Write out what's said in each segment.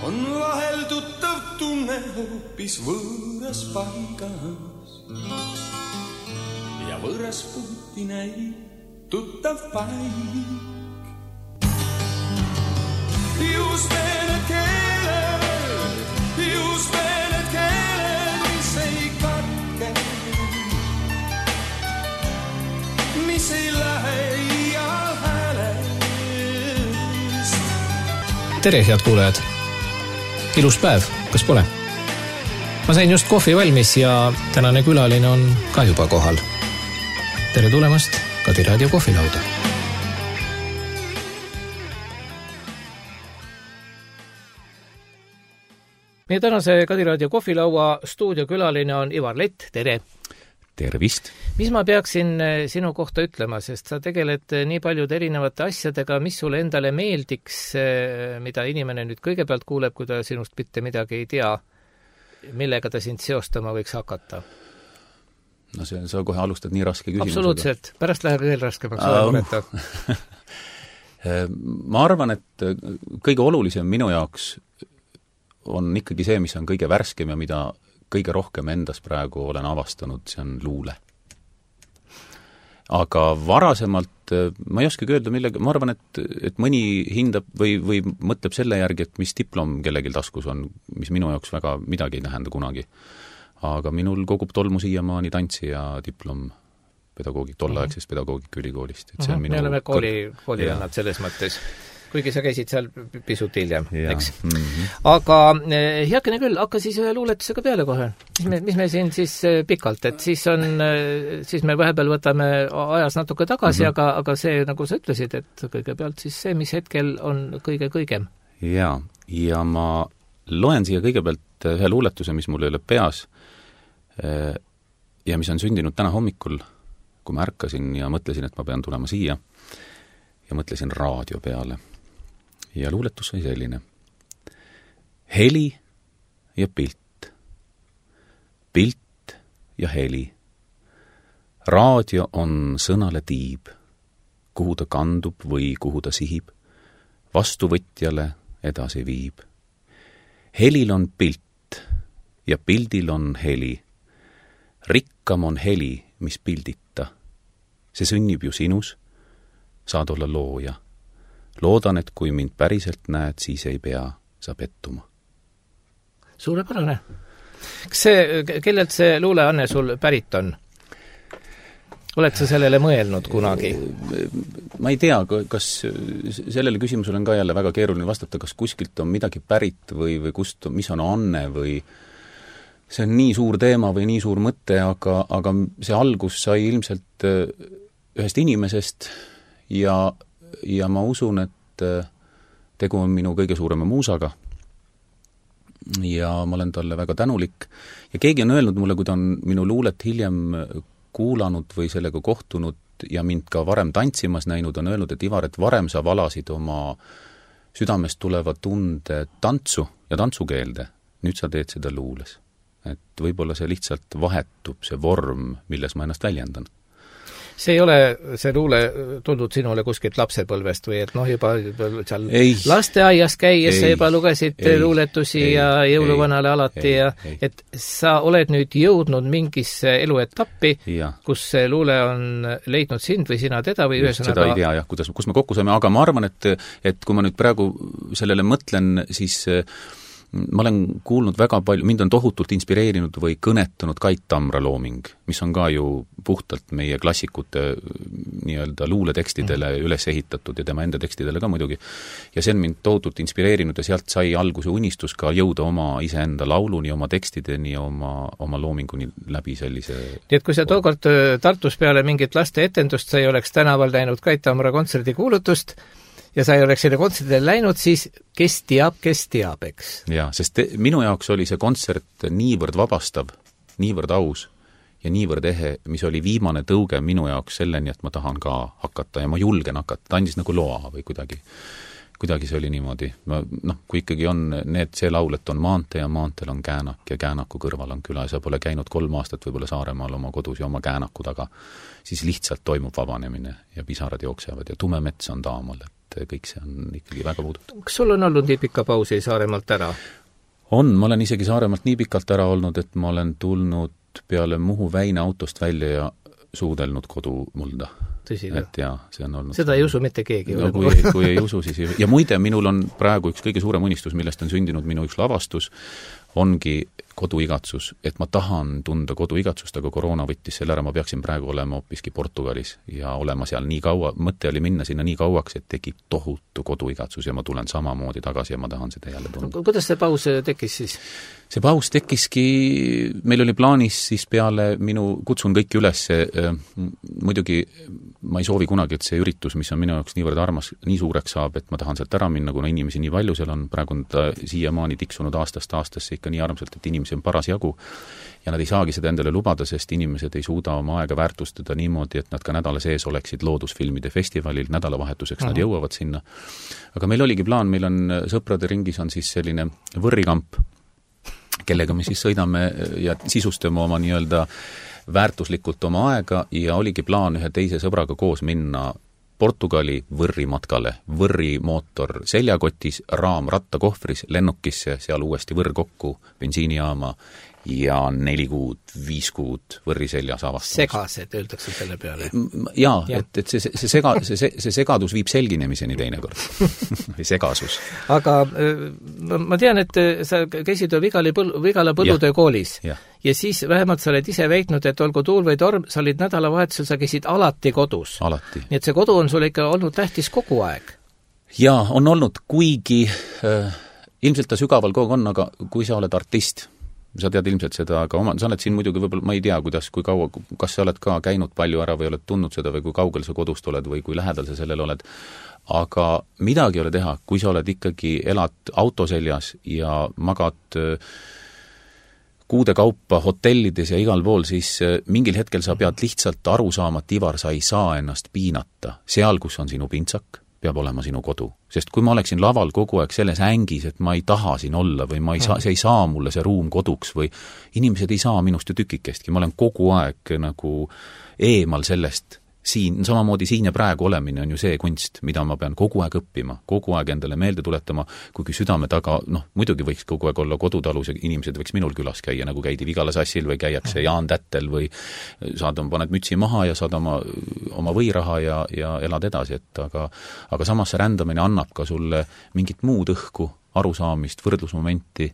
on vahel tuttav tunne hoopis võõras paigas. Ja võõras puuti näib tuttav paik. Just need keeled, mis ei katke, mis ei lähe iial häälest. Tere, head kuulajad! Ilus päev, kas pole? Ma sain just kohvi valmis ja tänane külaline on ka juba kohal. Tere tulemast Kadi Raadio kohvilauda! Meie tänase Kadi Raadio kohvilaua stuudiokülaline on Ivar Lett. Tere! Tervist! Mis ma peaksin sinu kohta ütlema, sest sa tegeled nii paljude erinevate asjadega, mis sulle endale meeldiks, mida inimene nüüd kõigepealt kuuleb, kui ta sinust mitte midagi ei tea, millega ta sind seostama võiks hakata? No sa kohe alustad nii raske küsimusega. Absoluutselt, pärast läheb veel raskemaks. Ma arvan, et kõige olulisem minu jaoks on ikkagi see, mis on kõige värskem ja mida kõige rohkem endas praegu olen avastanud, see on luule. Aga varasemalt, ma ei oskagi öelda millega, ma arvan, et mõni hindab või mõtleb selle järgi, et mis diplom kellelgi taskus on, mis minu jaoks väga midagi ei tähenda kunagi. Aga minul kogub tolmu siiamaani tantsi ja diplom tolleaegsest pedagoogika ülikoolist. Et see on minu... Me oleme koolivennad selles mõttes. Kuigi sa käisid seal pisut hiljem, eks. Aga heakene küll, hakka siis ühe luuletusega peale kohe. Mis me siin siis pikalt, et siis me vahepeal võtame ajas natuke tagasi, aga see, nagu sa ütlesid, et kõigepealt siis see, mis hetkel on kõigem. Ja ma loen siia kõigepealt ühe luuletuse, mis mul ei ole peas ja mis on sündinud täna hommikul, kui ma ärkasin ja mõtlesin, et ma pean tulema siia ja mõtlesin raadio peale. Ja luuletus sai selline. Heli ja pilt. Pilt ja heli. Raadio on sõnale tiib, kuhu ta kandub või kuhu ta sihib, vastuvõtjale edasi viib. Helil on pilt ja pildil on heli. Rikkam on heli, mis pildita. See sünnib ju sinus, saad olla looja. Loodan, et kui mind päriselt näed, siis ei pea sa pettuma. Suurepärane. Kellelt see luuleanne sul pärit on? Oled sa sellele mõelnud kunagi? Ma ei tea, kas sellele küsimusele on ka jälle väga keeruline vastata, kas kuskilt on midagi pärit või kust, mis on anne või see on nii suur teema või nii suur mõte, aga see algus sai ilmselt ühest inimesest ja ma usun, et tegu on minu kõige suurema muusaga ja ma olen talle väga tänulik. Ja keegi on öelnud mulle, kui ta on minu luulet hiljem kuulanud või sellega kohtunud ja mind ka varem tantsimas näinud, on öelnud, et Ivar, et varem sa valasid oma südamest tuleva tunde tantsu ja tantsukeelde, nüüd sa teed seda luules. Et võib-olla see lihtsalt vahetub, see vorm, milles ma ennast väljendan. See ei ole see luule tundnud sinule kuskilt lapsepõlvest või et juba seal lasteaias käies sa juba lugesid luuletusi ja jõuluvanale alati et sa oled nüüd jõudnud mingisse eluetappi, kus see luule on leidnud sind või sina teda või ühesõnaga... Seda ei tea jah, kus me kokku saime, aga ma arvan, et kui ma nüüd praegu sellele mõtlen, siis ma olen kuulnud väga palju, mind on tohutult inspireerinud või kõnetanud Kait Tamra looming, mis on ka ju puhtalt meie klassikute nii-öelda luuletekstidele üles ehitatud ja tema enda tekstidele ka muidugi. Ja see on mind tohutult inspireerinud ja sealt sai alguse unistus ka jõuda oma iseenda lauluni, oma tekstideni, oma loominguni läbi sellise... Nii et kui sa tookord Tartus peale mingit laste etendust, sa ei oleks tänaval näinud Kait Tamra kontserdi kuulutust, ja sa ei oleks selle kontserdile läinud, siis kes teab, eks? Jaa, sest minu jaoks oli see kontsert niivõrd vabastav, niivõrd aus ja niivõrd ehe, mis oli viimane tõuge minu jaoks selleni, et ma tahan ka hakata ja ma julgen hakata. Ta andis nagu loa või kuidagi see oli niimoodi. Kui ikkagi on see laul, et on maantee ja maanteel on käänak ja käänaku kõrval on küla ja sa pole käinud 3 aastat võib-olla Saaremaal oma kodus ja oma käänaku taga, siis lihtsalt toimub vabanemine ja pisarad jooksevad ja tume mets on taamal. et kõik see on ikkagi väga puudutav. Kas sul on olnud nii pikka pausi Saaremaalt ära? Ma olen isegi Saaremaalt nii pikalt ära olnud, et ma olen tulnud peale Muhu Väina autost välja ja suudelnud kodumulda. Tõsi, et jaa, see on olnud... Seda ei usu mitte keegi. No, kui ei usu, siis... Ja muide, minul on praegu üks kõige suurem unistus, millest on sündinud minu üks lavastus, ongi koduigatsus, et ma tahan tunda koduigatsust, aga koroona võttis selle ära, ma peaksin praegu olema hoopiski Portugalis ja olema seal nii kaua, mõte oli minna sinna nii kauaks, et tekib tohutu koduigatsus ja ma tulen samamoodi tagasi ja ma tahan seda jälle tunda. Kuidas see paus tekkis siis? See paus tekkiski, meil oli plaanis siis peale kutsun kõiki üles, muidugi ma ei soovi kunagi, et see üritus, mis on minu jaoks niivõrd armas, nii suureks saab, et ma tahan sealt ära minna, kuna inimesi nii palju seal on, praegu on ta siiamaani tiksunud aastast aastasse ikka nii armsalt, et inimesi on paras jagu ja nad ei saagi seda endale lubada, sest inimesed ei suuda oma aega väärtustada niimoodi, et nad ka nädala sees oleksid loodusfilmide festivalil, nädalavahetuseks nad jõuavad sinna. Aga meil oligi plaan, meil on sõprade ringis on siis selline võrrikamp, kellega me siis sõidame ja sisustame oma nii-öelda väärtuslikult oma aega ja oligi plaan ühe teise sõbraga koos minna Portugali Võrri matkale. Võrri mootor seljakotis, raam rattakohvris, lennukisse, seal uuesti Võrr kokku, bensiinijaama ja 4 kuud, 5 kuud Võrri seljas avastamas. Segased, öeldakse selle peale. Jaa, et see segadus viib selginemiseni teinekord. Või segasus. Aga ma tean, et sa käisid Vigala põllutöö koolis. Ja siis vähemalt sa oled ise väitnud, et olgu tuul või torm, sa olid nädalavahetusel, sa käisid alati kodus. Alati. Nii et see kodu on sulle ikka olnud tähtis kogu aeg. Jaa, on olnud, kuigi ilmselt ta sügaval kogu on, aga kui sa oled artist, sa tead ilmselt seda, aga sa oled siin muidugi võib-olla, ma ei tea, kui kaua, kas sa oled ka käinud palju ära või oled tundnud seda või kui kaugel sa kodust oled või kui lähedal sa sellel oled, aga midagi ei ole teha, kui sa oled ikkagi, elad autoseljas ja magad kuude kaupa hotellides ja igal pool, siis mingil hetkel sa pead lihtsalt aru saama, et Ivar, sa ei saa ennast piinata. Seal, kus on sinu pintsak, peab olema sinu kodu. Sest kui ma oleksin laval kogu aeg selles ängis, et ma ei taha siin olla või ma ei saa, see ei saa mulle see ruum koduks või inimesed ei saa minust ju tükikestki, ma olen kogu aeg nagu eemal sellest. Siin, samamoodi siin ja praegu olemine on ju see kunst, mida ma pean kogu aeg õppima, kogu aeg endale meelde tuletama, kuigi südame taga, muidugi võiks kogu aeg olla kodutalus ja inimesed võiks minul külas käia, nagu käidi Vigala sassil või käiakse Jaan Tättel või paned mütsi maha ja saad oma võiraha ja elad edasi, aga samas see rändamine annab ka sulle mingit muud õhku, arusaamist, võrdlusmomenti,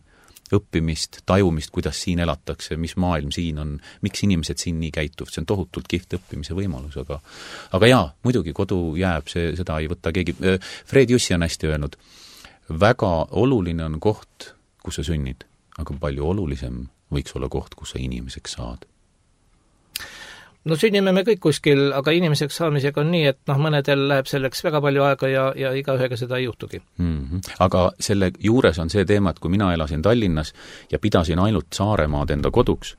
õppimist, tajumist, kuidas siin elatakse, mis maailm siin on, miks inimesed siin nii käituvad, see on tohutult kihvt õppimise võimalus, aga jaa, muidugi kodu jääb, seda ei võta keegi. Fred Jussi on hästi öelnud, väga oluline on koht, kus sa sünnid, aga palju olulisem võiks olla koht, kus sa inimeseks saad. No sünnime me kõik kuskil, aga inimeseks saamisega on nii, et mõnedel läheb selleks väga palju aega ja igaühega seda ei juhtugi. Aga selle juures on see teema, et kui mina elasin Tallinnas ja pidasin ainult Saaremaad enda koduks,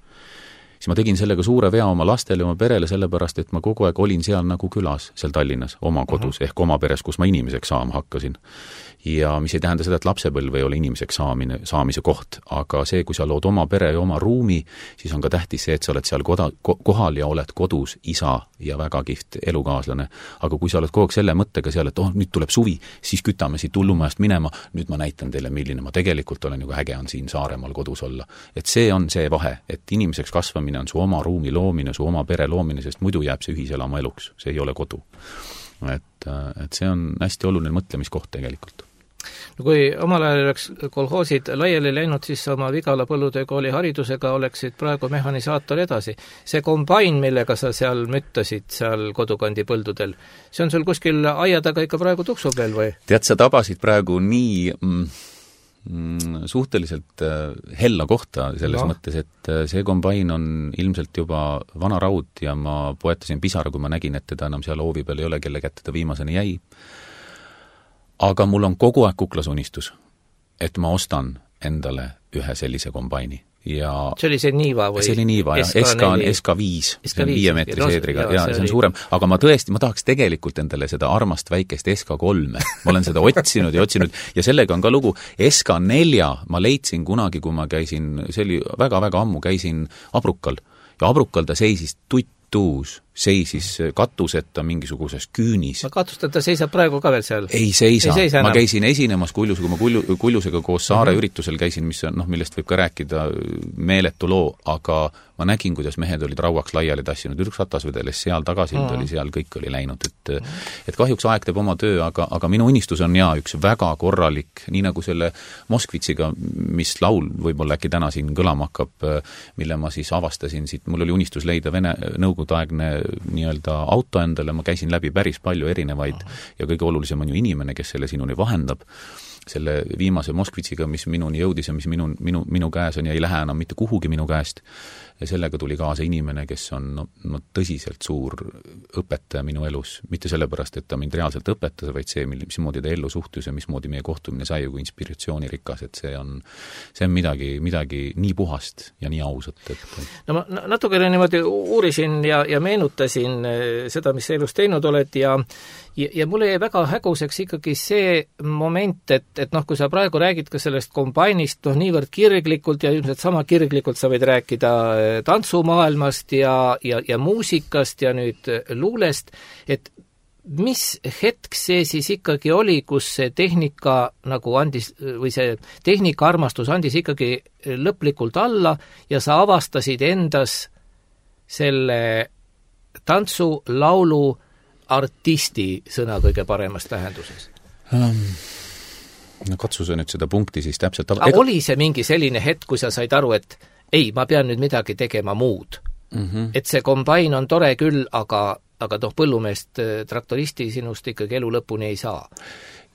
siis ma tegin sellega suure vea oma lastele, oma perele, sellepärast, et ma kogu aeg olin seal nagu külas, seal Tallinnas, oma kodus, ehk oma peres, kus ma inimeseks saama hakkasin. Ja mis ei tähenda seda, et lapsepõlv ei ole inimeseks saamise koht, aga see, kui sa lood oma pere ja oma ruumi, siis on ka tähtis see, et sa oled seal kohal ja oled kodus isa ja väga kihvt elukaaslane. Aga kui sa oled kogu aeg selle mõttega seal, et nüüd tuleb suvi, siis kütame siit hullumajast minema, nüüd ma näitan teile, milline ma tegelikult olen, ju äge on siin Saaremaal kodus olla. Et see on see vahe, et inimeseks kasvamine on su oma ruumi loomine, su oma pere loomine, sest muidu jääb see ühiselama eluks, see ei ole kodu. Et see on hästi oluline mõtlemiskoht tegelikult. No kui omal ajal oleks kolhoosid laiali läinud, siis oma Vigala põllutöökooli haridusega oleksid praegu mehanisaator edasi. See kombain, millega sa seal müttasid seal kodukandi põldudel, see on sul kuskil aia taga ikka praegu tuksub veel või? Tead, sa tabasid praegu nii suhteliselt hella kohta selles mõttes, et see kombain on ilmselt juba vana raud ja ma poetasin pisara, kui ma nägin, et teda enam seal hoovi peal ei ole, kelle kätte ta viimaseni jäi. Aga mul on kogu aeg kuklas unistus, et ma ostan endale ühe sellise kombaini. Ja see oli see Niiva või? See oli Niiva, ja SK5, see on 5 meetri seedriga, ja see on suurem. Aga ma tahaks tegelikult endale seda armast väikest SK3. Ma olen seda otsinud ja sellega on ka lugu. SK4 ma leidsin kunagi, kui ma käisin, see oli väga-väga ammu, käisin Abrukal. Ja Abrukal ta seisis tuttuus seisis katuseta mingisuguses küünis. Katuseta seisab praegu ka veel seal? Ei seisa ma käisin esinemas Kullusega koos Saare üritusel käisin, mis on, millest võib ka rääkida meeletu loo, aga ma nägin, kuidas mehed olid rauaks laiali tassinud, üks ratas vedeles seal, tagasild oli seal, kõik oli läinud, et kahjuks aeg teeb oma töö, aga minu unistus on üks väga korralik, nii nagu selle Moskvitsiga, mis laul võib-olla äkki täna siin kõlama hakkab, mille ma siis avastasin siit, mul oli unistus leida nõukogudeaegne nii-öelda auto endale, ma käisin läbi päris palju erinevaid ja kõige olulisem on ju inimene, kes selle sinuni vahendab, selle viimase Moskvitsiga, mis minuni jõudis ja mis minu käes on ja ei lähe enam mitte kuhugi minu käest. Ja sellega tuli kaasa inimene, kes on tõsiselt suur õpetaja minu elus. Mitte sellepärast, et ta mind reaalselt õpetas, vaid see, mismoodi ta ellu suhtus ja mismoodi meie kohtumine sai kui inspiratsioonirikas, et see on midagi nii puhast ja nii ausat. No ma natukene niimoodi uurisin ja meenutasin seda, mis sa elus teinud oled ja mulle jäi väga häguseks ikkagi see moment, et kui sa praegu räägid ka sellest kombainist, niivõrd kirglikult ja ilmselt sama kirglikult sa võid rääkida tantsumaailmast ja muusikast ja nüüd luulest, et mis hetk see siis ikkagi oli, kus see tehnika nagu andis, või see tehnikaarmastus andis ikkagi lõplikult alla ja sa avastasid endas selle tantsu, laulu, artisti sõna kõige paremas tähenduses? Katsu sa nüüd seda punkti siis täpselt... Oli see mingi selline hetk, kui sa said aru, et ei, ma pean nüüd midagi tegema muud. Et see kombain on tore küll, aga põllumeest, traktoristi sinust ikkagi elu lõpuni ei saa.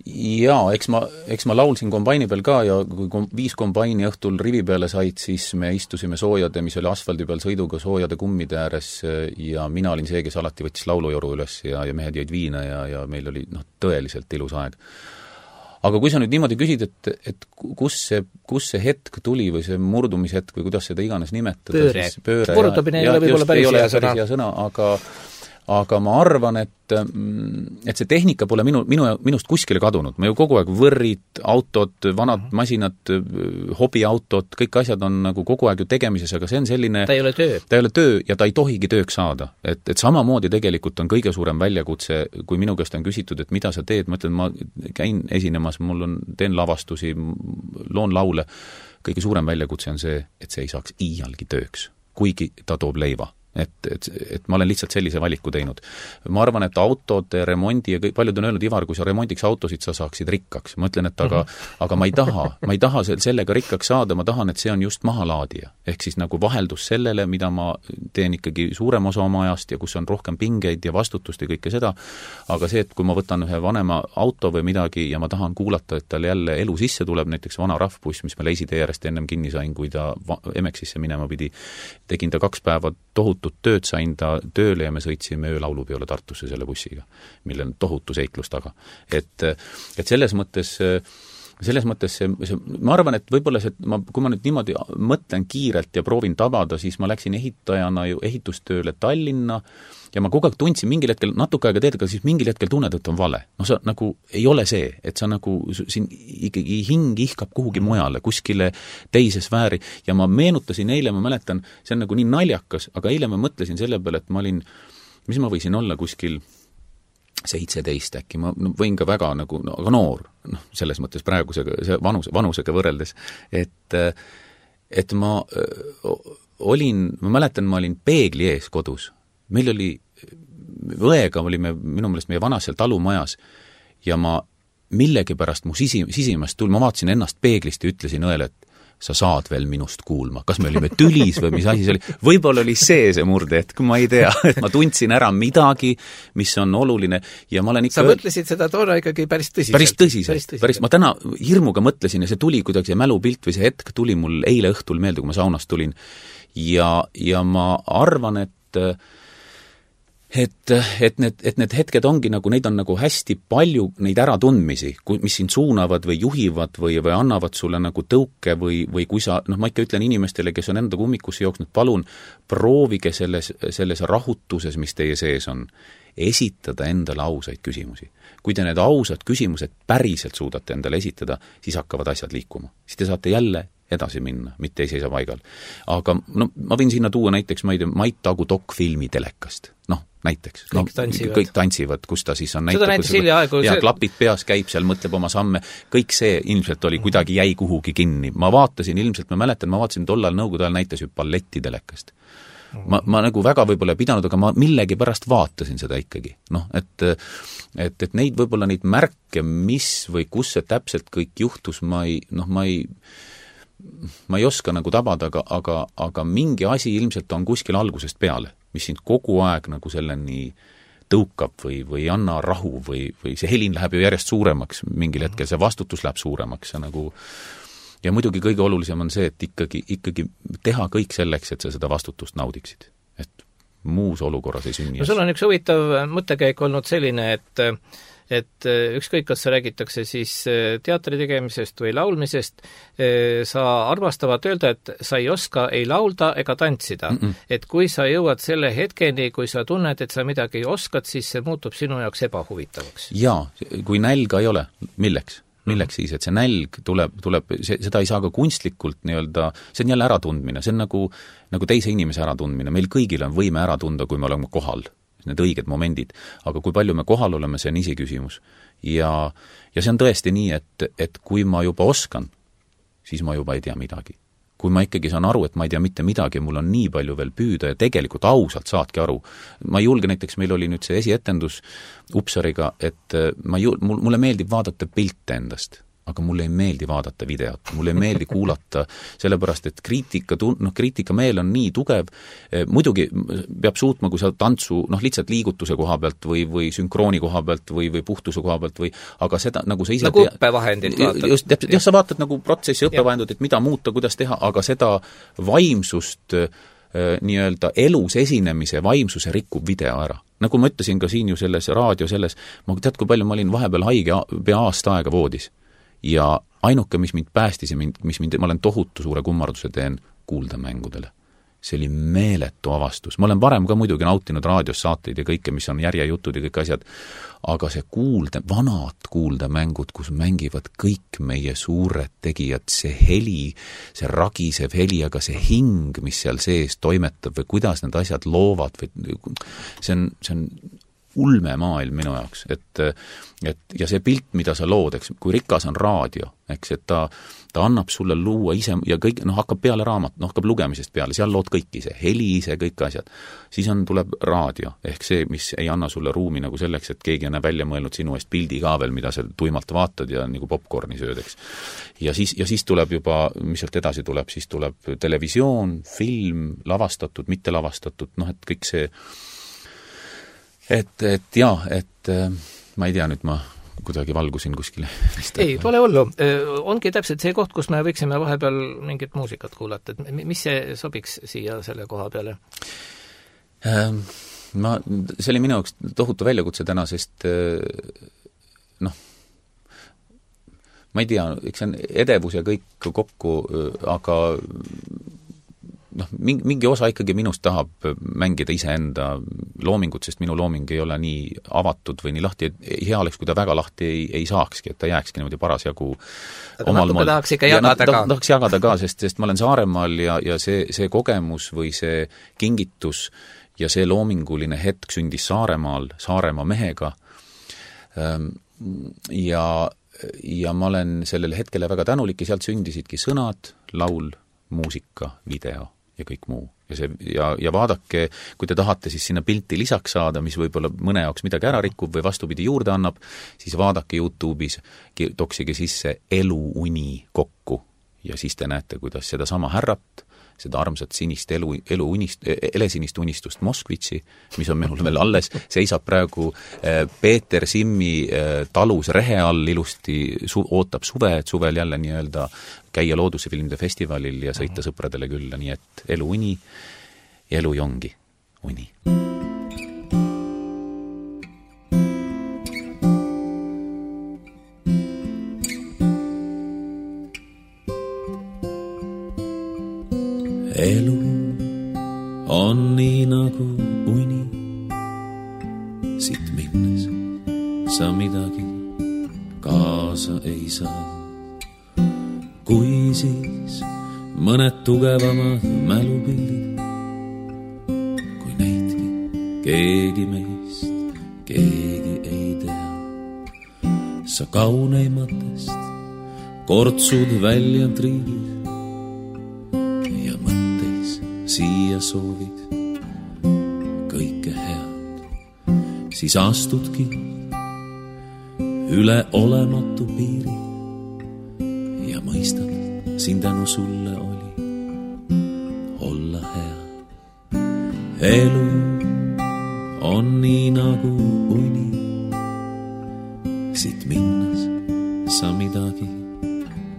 Jaa, eks ma laulsin kombaini peal ka ja kui 5 kombaini õhtul rivi peale said, siis me istusime soojade, mis oli asfaldi peal sõiduga soojade kummide ääres ja mina olin see, kes alati võttis laulujoru üles ja mehed jäid viina ja meil oli tõeliselt ilus aeg. Aga kui sa nüüd niimoodi küsid, et kus see hetk tuli või see murdumishetk või kuidas seda iganes nimetada, pööre. Murdumine ei ole võib-olla päris hea sõna. Aga ma arvan, et see tehnika pole minust kuskile kadunud. Ma ju kogu aeg võrrid, autod, vanad masinad, hobiautod, kõik asjad on nagu kogu aeg ju tegemises, aga see on selline... Ta ei ole töö ja ta ei tohigi tööks saada. Et samamoodi tegelikult on kõige suurem väljakutse, kui minu käest on küsitud, et mida sa teed, ma ütlen, ma käin esinemas, teen lavastusi, loon laule. Kõige suurem väljakutse on see, et see ei saaks iialgi tööks, kuigi ta toob leiva. Et ma olen lihtsalt sellise valiku teinud. Ma arvan, et autode remondi ja paljud on öelnud, Ivar, kui sa remondiks autosid, sa saaksid rikkaks. Ma ütlen, et aga ma ei taha sellega rikkaks saada, ma tahan, et see on just mahalaadija. Ehk siis nagu vaheldus sellele, mida ma teen ikkagi suurem osa oma ajast ja kus on rohkem pingeid ja vastutust ja kõike seda. Aga see, et kui ma võtan ühe vanema auto või midagi ja ma tahan kuulata, et tal jälle elu sisse tuleb, näiteks vana rahvbuss, mis ma Leisitee järjest ennem kinni sain, kui ta Emexisse minema pidi, tegin ta 2 päeva tohutut tööd, sain ta tööle ja me sõitsime öölaulupeole Tartusse selle bussiga, mille on tohutu seiklus taga. Et selles mõttes ma arvan, et võib-olla kui ma nüüd niimoodi mõtlen kiirelt ja proovin tabada, siis ma läksin ehitajana ju ehitustööle Tallinna ja ma kogu aeg tundsin mingil hetkel, natuke aega teed, aga siis mingil hetkel tunned, et on vale. No sa nagu ei ole see, et sa nagu siin ikkagi hing ihkab kuhugi mujale, kuskile teise sfääri ja ma meenutasin eile, ma mäletan, see on nagu nii naljakas, aga eile ma mõtlesin selle peale, et ma olin, mis ma võisin olla kuskil 17 äkki, ma võin ka väga nagu aga noor, selles mõttes praegusega, see vanusega võrreldes, et ma mäletan, ma olin peegli ees kodus. Meil oli, õega olime minu meelest meie vanas seal talumajas ja ma millegipärast mu sisimast ma vaatasin ennast peeglist ja ütlesin õele, et sa saad veel minust kuulma. Kas me olime tülis või mis asi see oli? Võib-olla oli see murdehetk, ma ei tea. Et ma tundsin ära midagi, mis on oluline ja ma olen ikka... Sa mõtlesid seda toona ikkagi päris tõsiselt? Päris. Ma täna hirmuga mõtlesin ja see tuli kuidagi, see mälupilt või see hetk tuli mul eile õhtul meelde, kui ma saunast tulin. Ja ma arvan, et need hetked ongi nagu, neid on nagu hästi palju neid äratundmisi, mis sind suunavad või juhivad või annavad sulle nagu tõuke või kui sa, ma ikka ütlen inimestele, kes on enda kummikusse jooksnud, palun proovige selles rahutuses, mis teie sees on, esitada endale ausaid küsimusi. Kui te need ausad küsimused päriselt suudate endale esitada, siis hakkavad asjad liikuma. Siis te saate jälle edasi minna, mitte ei seisa paigal. Aga no, ma võin sinna tuua näiteks, ma ei tea, Mait Tagu dokfilmi telekast. Näiteks. Kõik tantsivad, kus ta siis on seda näitas hiljaaegu. Ja klapid peas käib seal, mõtleb oma samme. Kõik see ilmselt oli, kuidagi jäi kuhugi kinni. Ma vaatasin, ilmselt ma mäletan, tollal Nõukogude ajal näitas ju balletti telekast. Ma nagu väga võib-olla ei pidanud, aga ma millegi pärast vaatasin seda ikkagi. Et neid võib-olla neid märke, mis või kus see täpselt kõik juhtus, ma ei oska nagu tabada, aga mingi asi ilmselt on kuskil algusest peale, mis sind kogu aeg nagu selleni tõukab või anna rahu või see helin läheb ju järjest suuremaks mingil hetkel, see vastutus läheb suuremaks ja muidugi kõige olulisem on see, et ikkagi teha kõik selleks, et sa seda vastutust naudiksid. Et muus olukorras ei sünni. No sul on üks huvitav mõttekäik olnud selline, et ükskõik, kas sa räägitakse siis teatri tegemisest või laulmisest, sa armastavad öelda, et sa ei oska ei laulda ega tantsida. Et kui sa jõuad selle hetkeni, kui sa tunned, et sa midagi oskad, siis see muutub sinu jaoks ebahuvitavaks. Jaa, kui nälga ei ole, milleks siis, et see nälg tuleb seda ei saa ka kunstlikult nii-öelda, see on jälle äratundmine, see on nagu teise inimese äratundmine, meil kõigil on võime ära tunda, kui me oleme kohal, need õiged momendid, aga kui palju me kohal oleme, see on isiküsimus. Ja see on tõesti nii, et kui ma juba oskan, siis ma juba ei tea midagi. Kui ma ikkagi saan aru, et ma ei tea mitte midagi, mul on nii palju veel püüda ja tegelikult ausalt saadki aru. Ma ei julge, näiteks meil oli nüüd see esietendus Upsariga, et mulle meeldib vaadata pilte endast, aga mulle ei meeldi vaadata videot, mulle ei meeldi kuulata, sellepärast, et kriitikameel on nii tugev, muidugi peab suutma, kui sa tantsu, lihtsalt liigutuse koha pealt või sünkrooni koha pealt või puhtuse koha pealt aga seda, nagu sa ise... Nagu õppevahendid vaatad. Just, sa vaatad nagu protsessi õppevahendid, et mida muuta, kuidas teha, aga seda vaimsust nii-öelda elus esinemise vaimsuse rikkub video ära. Nagu ma ütlesin ka siin ju selles raadio ma tead, kui palju ma olin vahepeal haige pea aasta aega voodis. Ja ainuke, mis mind päästis ja ma olen tohutu suure kummarduse teen kuuldemängudele. See oli meeletu avastus. Ma olen varem ka muidugi nautinud raadios saateid ja kõike, mis on järjejutud ja kõik asjad, aga see vanad kuuldemängud, kus mängivad kõik meie suured tegijad, see heli, see ragisev heli, aga see hing, mis seal sees toimetab või kuidas need asjad loovad, see on ulme maailm minu jaoks, ja see pilt, mida sa lood, eks, kui rikas on raadio, eks, et ta annab sulle luua ise ja kõik, hakkab peale raamat, hakkab lugemisest peale, seal lood kõik ise, heli ise, kõik asjad. Siis tuleb raadio, ehk see, mis ei anna sulle ruumi nagu selleks, et keegi on välja mõelnud sinu eest pildi ka veel, mida sa tuimalt vaatad ja nagu popcorni sööd, eks. Ja siis tuleb juba, mis sealt edasi tuleb, siis tuleb televisioon, film, lavastatud, mitte lavastatud, et kõik see ma ei tea, nüüd ma kuidagi valgusin kuskile. Ei, pole hullu. Ongi täpselt see koht, kus me võiksime vahepeal mingit muusikat kuulata. Et mis see sobiks siia selle koha peale? See oli minu jaoks tohutu väljakutse täna, sest ma ei tea, eks see on edevus ja kõik kokku, aga mingi osa ikkagi minust tahab mängida iseenda loomingut, sest minu looming ei ole nii avatud või nii lahti, hea oleks, kui ta väga lahti ei saakski, et ta jääkski niimoodi parasjagu omal moel. Tahaks ikka jagada ka. Tahaks jagada ka, sest ma olen Saaremaal ja see kogemus või see kingitus ja see loominguline hetk sündis Saaremaal, Saaremaa mehega ja ma olen sellele hetkele väga tänulik ja sealt sündisidki sõnad, laul, muusika, video ja kõik muu. Ja vaadake, kui te tahate siis sinna pilti lisaks saada, mis võib-olla mõne jaoks midagi ära rikub või vastupidi juurde annab, siis vaadake YouTube'is, toksige sisse eluuni kokku ja siis te näete, kuidas seda sama härrat, seda armsat sinist elesinist unistust Moskvitsi, mis on minul veel alles, seisab praegu Peeter Simmi talus rehe all ilusti, ootab suve, et suvel jälle nii-öelda käia loodusefilmide festivalil ja sõita sõpradele külla, nii et elu uni ja elu jongi uni. Elu on nii nagu uni, siit minnes sa midagi kaasa ei saa. kui siis mõned tugevamad mälupildid, kui neidki keegi meist keegi ei tea. Sa kauneimatest kortsud välja triigid ja mõtteis siia soovid kõike head, siis astudki üle olematu piiri ja mõistad, siin tänu sulle oli olla hea. Elu on nii nagu uni, siit minnes sa midagi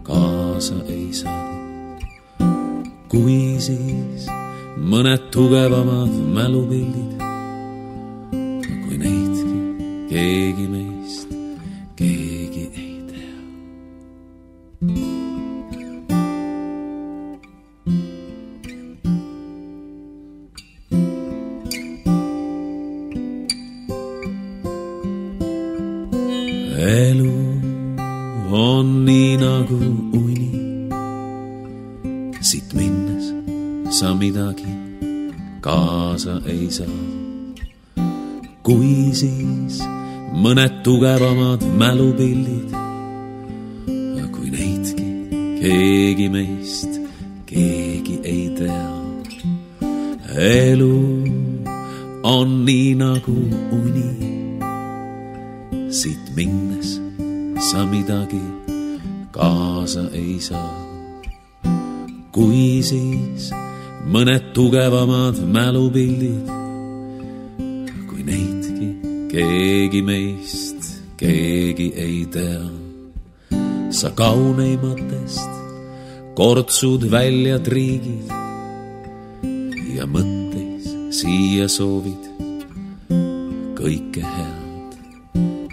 kaasa ei saa. Kui siis mõned tugevamad mälupildid, kui neidki keegi meist keegi ei tea. Elu on nii nagu uni, siit minnes sa midagi kaasa ei saa. Kui siis mõned tugevamad mälupildid, kui neidki keegi meist keegi ei tea. Elu on nii nagu uni, siit minnes sa midagi kaasa ei saa. Kui siis mõned tugevamad mälupildid, kui neidki keegi meist keegi ei tea. Sa kauneimatest kortsud välja triigid ja mõtteis siia soovid kõike head,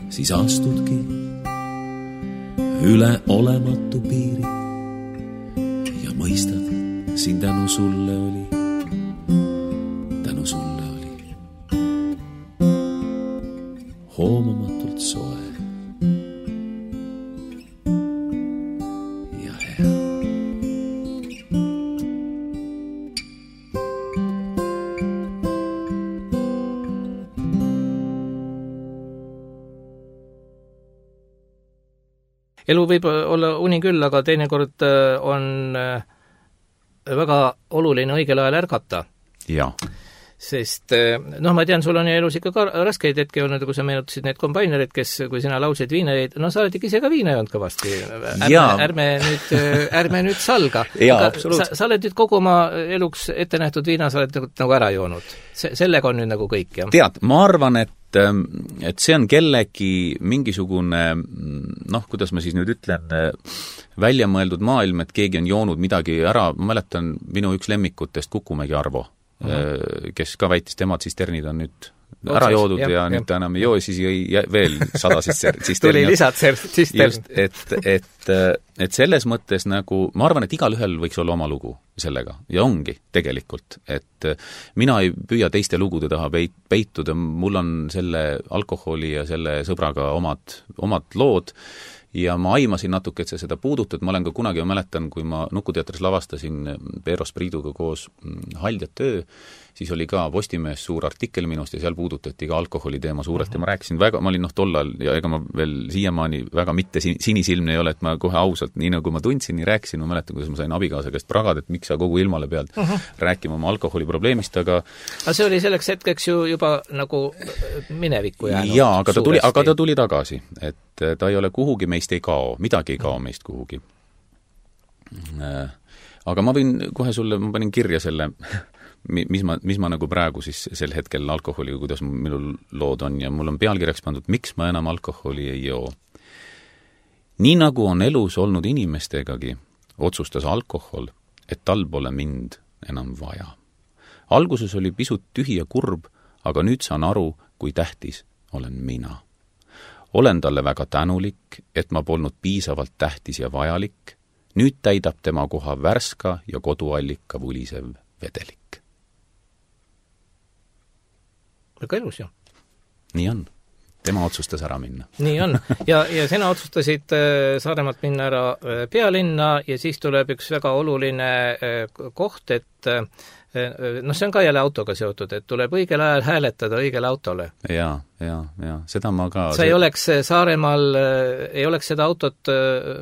siis astudki üle olematu piiri ja mõistad, siin tänu sulle oli hoomamatult soe ja hea. Elu võib olla uni küll, aga teinekord on väga oluline õigel ajal ärgata. Jaa. Sest ma tean, sul on elus ikka ka raskeid hetki olnud, kui sa meenutasid need kombainerid, kes, kui sina laulsid viina jäid, sa oled ikka ise ka viina joonud kõvasti. Ärme nüüd salga. Sa oled nüüd kogu oma eluks ette nähtud viina, sa oled nagu ära joonud. Sellega on nüüd nagu kõik, jah? Tead, ma arvan, et see on kellegi mingisugune, kuidas ma siis nüüd ütlen, välja mõeldud maailm, et keegi on joonud midagi ära. Ma mäletan minu üks lemmikutest Kukumägi Arvo, kes ka väitis, temad tsisternid on nüüd ära joodud ja nüüd ta enam ei joo, siis jõi veel 100 tsisternid. Tuli lisad tsistern. Et selles mõttes nagu, ma arvan, et igalühel võiks olla oma lugu sellega ja ongi tegelikult, et mina ei püüa teiste lugude taha peituda, mul on selle alkoholi ja selle sõbraga omad lood ja ma aimasin natuke, et sa seda puudutad. Ma olen ka kunagi, ma mäletan, kui ma Nukuteatris lavastasin Peero Spriiduga koos Haljad töö, siis oli ka Postimehes suur artikkel minust ja seal puudutati ka alkoholi teema suurelt ja ma rääkisin väga, ma olin tollal ja ega ma veel siiamaani väga mitte sinisilmne ei ole, et ma kohe ausalt, nii nagu ma tundsin, nii rääkisin, ma mäletan, kuidas ma sain abikaasa käest pragada, et miks sa kogu ilmale pead rääkima oma alkoholiprobleemist, aga see oli selleks hetkeks ju juba nagu minevikku jäänud. Jaa, aga ta tuli tagasi, et ta ei ole kuhugi, meist ei kao, midagi ei kao meist kuhugi. Aga ma võin kohe sulle, ma panin kirja selle mis ma nagu praegu siis sel hetkel alkoholiga, kuidas minul lood on ja mul on pealkirjaks pandud, miks ma enam alkoholi ei joo. Nii nagu on elus olnud inimestegagi, otsustas alkohol, et tal pole mind enam vaja. Alguses oli pisut tühi ja kurb, aga nüüd saan aru, kui tähtis olen mina. Olen talle väga tänulik, et ma polnud piisavalt tähtis ja vajalik. Nüüd täidab tema koha värska ja koduallika vulisev vedelik. Väga elus, jah. Nii on. tema otsustas ära minna. Nii on. Ja sina otsustasid Saaremaalt minna ära pealinna ja siis tuleb üks väga oluline koht, et see on ka jälle autoga seotud, et tuleb õigel ajal hääletada õigele autole. Ja, seda ma ka... Sa ei oleks Saaremaal, ei oleks seda autot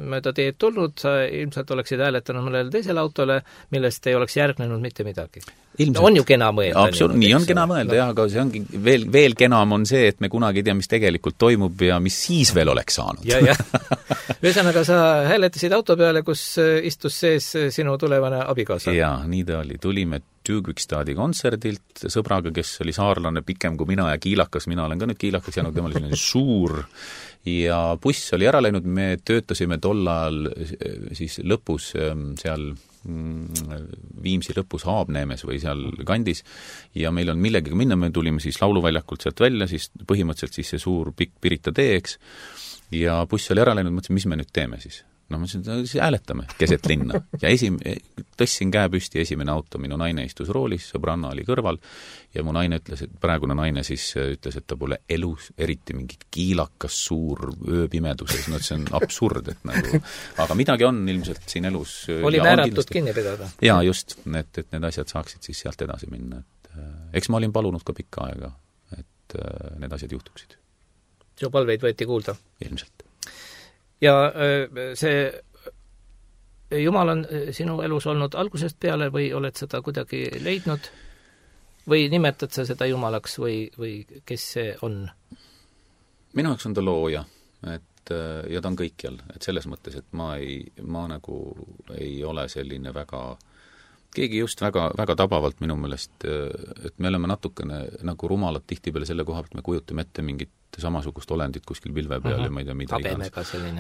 mööda teed tulnud, sa ilmselt oleksid hääletanud mõnele teisele autole, millest ei oleks järgnenud mitte midagi. Ilmselt. On ju kena mõelda. Nii on kena mõelda, jah, aga see ongi veel kenam on see, et me kunagi ei tea, mis tegelikult toimub ja mis siis veel oleks saanud. Ja. Ühesõnaga, sa hääletasid auto peale, kus istus sees sinu tulevane abikaasa. Ja, nii ta oli. Tulime Tüükvikstaadi kontserdilt sõbraga, kes oli saarlane pikem kui mina ja kiilakas. Mina olen ka nüüd kiilakas jäänud, tema oli selline suur ja buss oli ära läinud. Me töötasime tol ajal siis lõpus seal Viimsi lõpus Haabneemes või seal kandis ja meil on millegagi minna, me tulime siis lauluväljakult sealt välja, siis põhimõtteliselt siis see suur pikk Pirita teeks ja buss oli ära läinud, mõtlesin, mis me nüüd teeme siis? Mõtlesin, siis hääletame keset linna ja tõssin käe püsti esimene auto, minu naine istus roolis, sõbranna oli kõrval ja mu naine ütles, et praegune naine siis ütles, et ta pole elus eriti mingi kiilakas suur ööpimeduses, see on absurd, et nagu, aga midagi on ilmselt siin elus. Oli määratud kinni pidada. Ja just, et need asjad saaksid siis sealt edasi minna. Eks ma olin palunud ka pikka aega, et need asjad juhtuksid. Su palveid võeti kuulda? Ilmselt. Ja see Jumal on sinu elus olnud algusest peale või oled seda kuidagi leidnud? Või nimetad sa seda Jumalaks või kes see on? Minu jaoks on ta looja, ja ta on kõikjal, et selles mõttes, et ma nagu ei ole selline keegi just väga tabavalt minu meelest, et me oleme natukene nagu rumalad tihtipeale selle koha, et me kujutame ette mingit samasugust olendit kuskil pilve peal ja ma ei tea, mida iganes.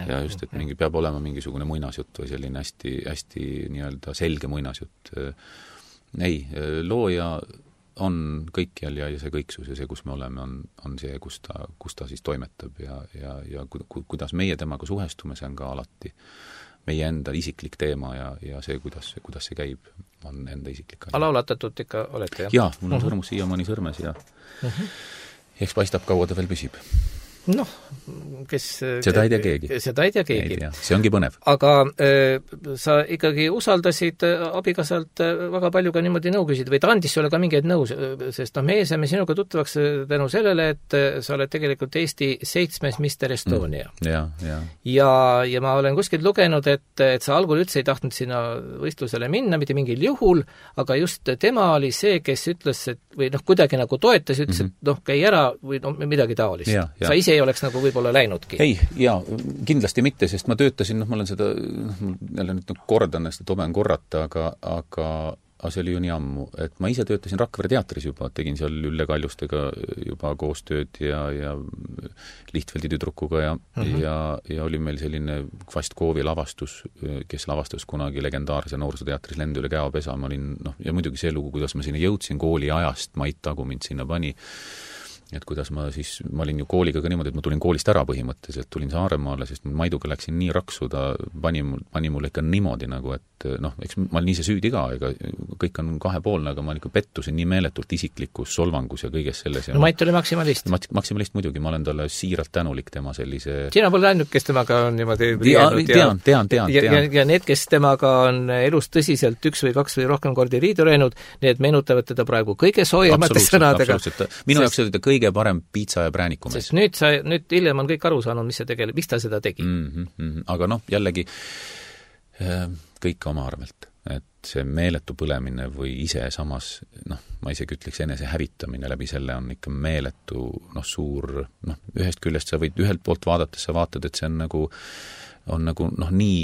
Ja just, et peab olema mingisugune muinasjutt või selline hästi nii-öelda selge muinasjutt. Ei, looja on kõikjal ja see kõiksus ja see, kus me oleme, on see, kus ta siis toimetab ja kuidas meie temaga suhestume, see on ka alati meie enda isiklik teema ja see, kuidas see käib, on enda isiklik. Laulatatud ikka olete, jah? Jaa, mul on sõrmus siiamaani sõrmes ja eks paistab, kaua ta veel püsib. Seda ei tea keegi. Seda ei tea keegi. See ongi põnev. Aga sa ikkagi usaldasid abikaasalt väga palju ka niimoodi nõu küsida või ta andis sulle ka mingeid nõu, sest meie saime sinuga tuttavaks tänu sellele, et sa oled tegelikult Eesti 7. Mister Estonia. Ja ma olen kuskilt lugenud, et sa algul üldse ei tahtnud sinna võistlusele minna, mitte mingil juhul, aga just tema oli see, kes ütles, et või kuidagi nagu toetas, ütles, et käi ära või midagi taolist. Sa ise ei oleks nagu võib-olla läinudki. Ei, kindlasti mitte, sest ma töötasin, ma olen seda, jälle nüüd kordan, sest toben korrata, aga see oli ju nii ammu, et ma ise töötasin Rakvere teatris juba, tegin seal Ülle Kaljustega juba koostööd ja Lihtfeldi tüdrukuga ja oli meil selline Kvastkoovi lavastus, kes lavastas kunagi legendaarse noorsooteatris Lend üle käopesa, ma olin, ja muidugi see lugu, kuidas ma sinna jõudsin kooli ajast, Mait Tagu mind sinna pani, et kuidas ma olin ju kooliga ka niimoodi, et ma tulin koolist ära põhimõtteliselt, tulin Saaremaale, sest Maiduga läksin nii raksu, ta pani mulle ikka niimoodi nagu, et eks ma olin ise süüdi ka, ega kõik on kahepoolne, aga ma ikka pettusin nii meeletult isiklikus solvangus ja kõiges selles. Mait oli maksimalist. Maksimalist muidugi, ma olen talle siiralt tänulik tema sellise... Sina pole ainult, kes temaga on niimoodi tean. Ja need, kes temaga on elus tõsiselt 1 või 2 või rohkem kordi riidu läinud, need meenutavad teda praegu kõige soojemate sõnadega. Minu jaoks oli ta kõige parem piitsa ja prääniku mees. Sest nüüd hiljem on kõik aru saanud, miks ta seda tegi. Aga jällegi kõik oma arvelt. Et see meeletu põlemine või ise samas, ma isegi ütleks enese hävitamine läbi selle on ikka meeletu, suur, ühest küljest sa võid ühelt poolt vaadates, sa vaatad, et see on nagu nii,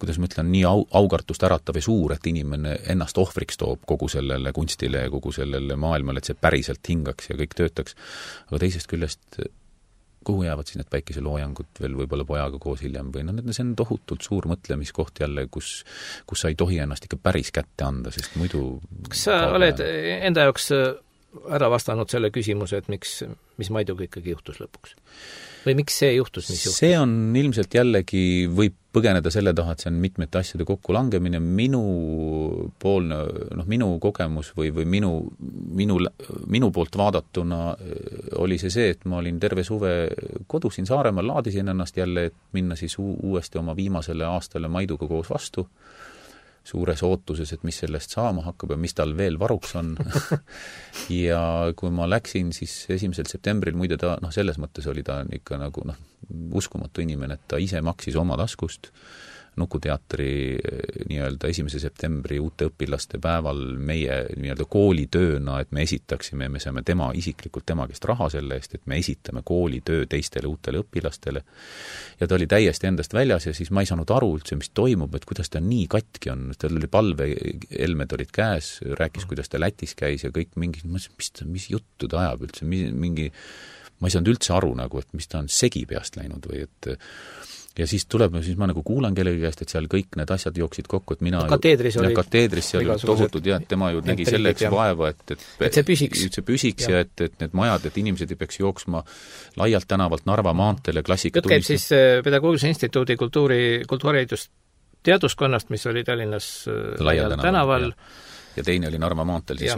kuidas ma ütlen, nii aukartust äratav ja suur, et inimene ennast ohvriks toob kogu sellele kunstile ja kogu sellele maailmale, et see päriselt hingaks ja kõik töötaks. Aga teisest küljest, kuhu jäävad siis need päikeseloojangud veel võib-olla pojaga koos hiljem või see on tohutult suur mõtlemiskoht jälle, kus sa ei tohi ennast ikka päris kätte anda, sest muidu... Kas sa oled enda jaoks ära vastanud selle küsimuse, et mis Maiduga ikkagi juhtus lõpuks? Või miks see juhtus, mis juhtus? See on ilmselt jällegi, võib põgeneda selle taha, et see on mitmete asjade kokkulangemine, minu kogemus või minu poolt vaadatuna oli see, et ma olin terve suve kodus siin Saaremaal, laadisin ennast jälle, et minna siis uuesti oma viimasele aastale Maiduga koos vastu, suures ootuses, et mis sellest saama hakkab ja mis tal veel varuks on. Ja kui ma läksin, siis 1. septembril, muide ta, selles mõttes oli ta ikka nagu, uskumatu inimene, et ta ise maksis oma taskust Nukuteatri nii-öelda 1. septembri uute õpilaste päeval meie nii-öelda koolitööna, et me esitaksime, me saame isiklikult tema käest raha selle eest, et me esitame koolitöö teistele uutele õpilastele. Ja ta oli täiesti endast väljas ja siis ma ei saanud aru üldse, mis toimub, et kuidas ta nii katki on. Tal oli palveelmed olid käes, rääkis, kuidas ta Lätis käis ja kõik mingi, mis juttu ta ajab üldse, ma ei saanud üldse aru nagu, et mis ta on segi peast läinud või et ja siis ma nagu kuulan kellegi käest, et seal kõik need asjad jooksid kokku, et mina kateedris seal tohutud ja tema ju nägi selleks vaeva, et see püsiks ja et need majad, et inimesed ei peaks jooksma laialt tänavalt Narva maanteele klassika jutt käib siis Pedagoogilise Instituudi kultuuriharidus teaduskonnast, mis oli Tallinnas laial tänaval. Ja teine oli Narva maanteel, siis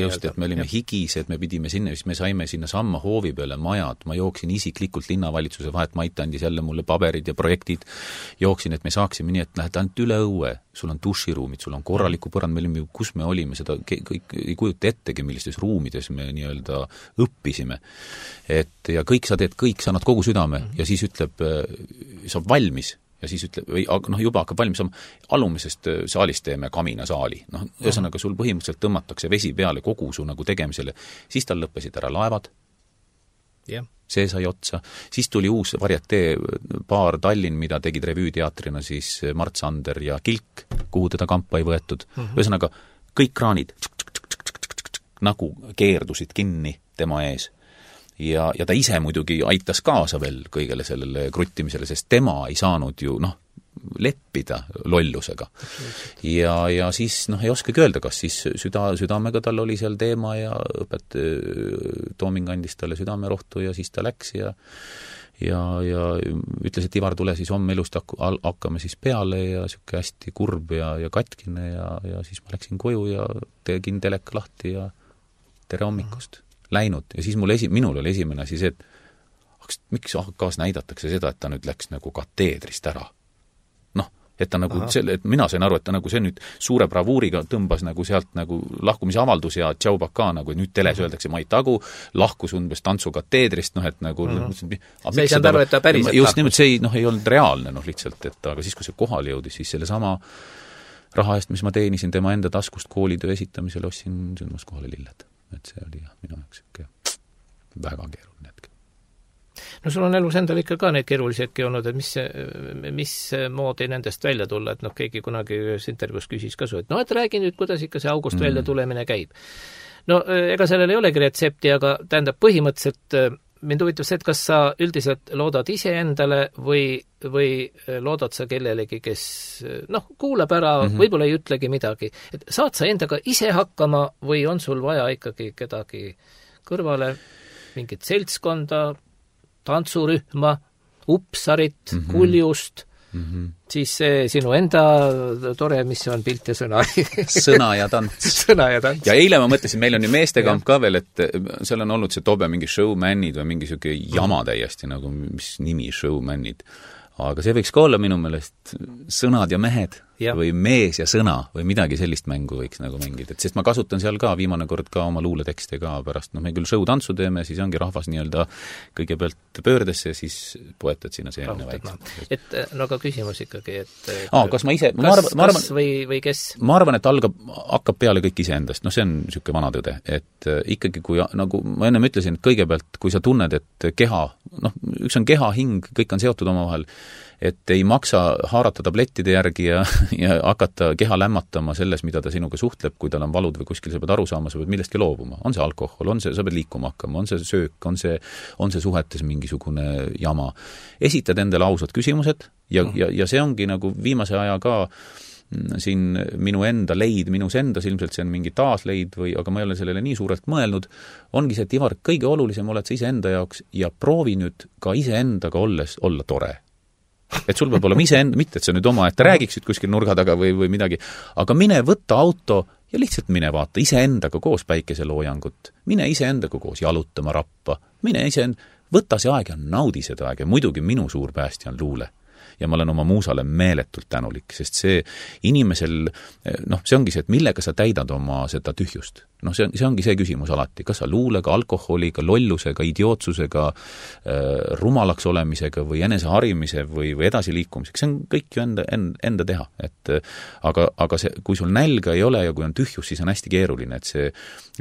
just, et me olime higised, me pidime sinna, siis me saime sinna samma hoovi peale majad, ma jooksin isiklikult linnavalitsuse vahet, Mait andis jälle mulle paberid ja projektid, jooksin, et me saaksime nii, et lähed ainult üle õue, sul on duširuumid, sul on korraliku põrand, me olime, kus me olime, seda kõik ei kujuta ettegi, millistes ruumides me nii-öelda õppisime. Ja kõik sa teed, kõik sa annad kogu südame ja siis ütleb, saab valmis. Ja siis ütleb, juba hakkab valmis saama, alumisest saalist teeme kaminasaali. Ühesõnaga sul põhimõtteliselt tõmmatakse vesi peale kogu su nagu tegemisele. Siis tal lõppesid ära laevad. See sai otsa. Siis tuli uus varietee paar Tallinn, mida tegid revüüteatrina siis Mart Sander ja Kilk, kuhu teda kampa ei võetud. Ühesõnaga, kõik kraanid nagu keerdusid kinni tema ees. Ja ta ise muidugi aitas kaasa veel kõigele sellele kruttimisele, sest tema ei saanud ju, leppida lollusega. Ja siis, ei oskagi öelda, kas siis südamega tal oli seal teema ja Tooming andis talle südamerohtu ja siis ta läks ja ütles, et Ivar, tule siis homme elust hakkame siis peale ja siuke hästi kurb ja katkine ja siis ma läksin koju ja tegin teleka lahti ja tere hommikust. Läinud ja siis minul oli esimene asi see, et miks AK-s näidatakse seda, et ta nüüd läks nagu kateedrist ära. Et ta nagu et mina sain aru, et ta nagu see nüüd suure bravuuriga tõmbas nagu sealt nagu lahkumise avaldus ja tšau baka nagu, nüüd teles öeldakse Mait Agu, lahkus umbes tantsukateedrist, et nagu see ei saanud aru, et ta päriselt just nimelt see ei olnud reaalne lihtsalt, et aga siis, kui see kohale jõudis, siis selle sama raha eest, mis ma teenisin tema enda taskust koolitöö esitamisel, ostsin sündmas kohale lilled. Et see oli minu jaoks väga keeruline hetk. No sul on elus endal ikka ka neid keerulisi hetki olnud, et mis moodi nendest välja tulla, et keegi kunagi ühes intervjuus küsis ka su, et et räägi nüüd, kuidas ikka see august välja tulemine käib. Ega sellel ei olegi retsepti, aga tähendab põhimõtteliselt mind huvitab see, et kas sa üldiselt loodad ise endale või loodad sa kellelegi, kes kuulab ära, võib-olla ei ütlegi midagi. Et saad sa endaga ise hakkama või on sul vaja ikkagi kedagi kõrvale, mingit seltskonda, tantsurühma, upsarit, kuljust, siis see sinu enda tore, mis on pilt ja sõna. Sõna ja tants. Sõna ja tants. Ja eile ma mõtlesin, meil on ju meestekamp ka veel, et seal on olnud see tobe mingi showmanid või mingi siuke jama täiesti, nagu mis nimi showmanid. Aga see võiks ka olla minu meelest sõnad ja mehed või mees ja sõna või midagi sellist mängu võiks nagu mängida. Sest ma kasutan seal ka viimane kord ka oma luuletekste ka pärast. Me küll show-tantsu teeme, siis ongi rahvas nii-öelda kõigepealt pöördesse ja siis poetad sinna seemne väikselt. Et aga küsimus ikkagi, et kas ma ise kas või kes? Ma arvan, et hakkab peale kõik iseendast. See on niisugune vana tõde. Et ikkagi, kui nagu ma ennem ütlesin, et kõigepealt, kui sa tunned, et keha, üks on keha, hing, kõik on seotud omavahel, et ei maksa haarata tablettide järgi ja hakata keha lämmatama selles, mida ta sinuga suhtleb, kui tal on valud või kuskil sa pead aru saama, sa pead millestki loobuma. On see alkohol, sa pead liikuma hakkama, on see söök, on see suhetes mingisugune jama. Esitad endale ausad küsimused ja see ongi nagu viimase aja ka siin minu enda leid, minus endas, ilmselt see on mingi taasleid aga ma ei ole sellele nii suurelt mõelnud, ongi see, et Ivar, kõige olulisem oled sa iseenda jaoks ja proovi nüüd ka iseendaga olla tore. Et sul peab olema iseenda, mitte et sa nüüd oma, et räägiksid kuskil nurga taga või midagi, aga mine võtta auto ja lihtsalt mine vaata iseendaga koos päikeseloojangut, mine iseendaga koos jalutama rappa, mine võta see aeg ja naudi seda aeg ja muidugi minu suur päästja on luule. Ja ma olen oma muusale meeletult tänulik, sest see inimesel, see ongi see, et millega sa täidad oma seda tühjust. See ongi see küsimus alati, kas sa luulega, alkoholiga, lollusega, idiootsusega, rumalaks olemisega või enese või edasiliikumisega, see on kõik ju enda teha. Aga see, kui sul nälga ei ole ja kui on tühjus, siis on hästi keeruline, et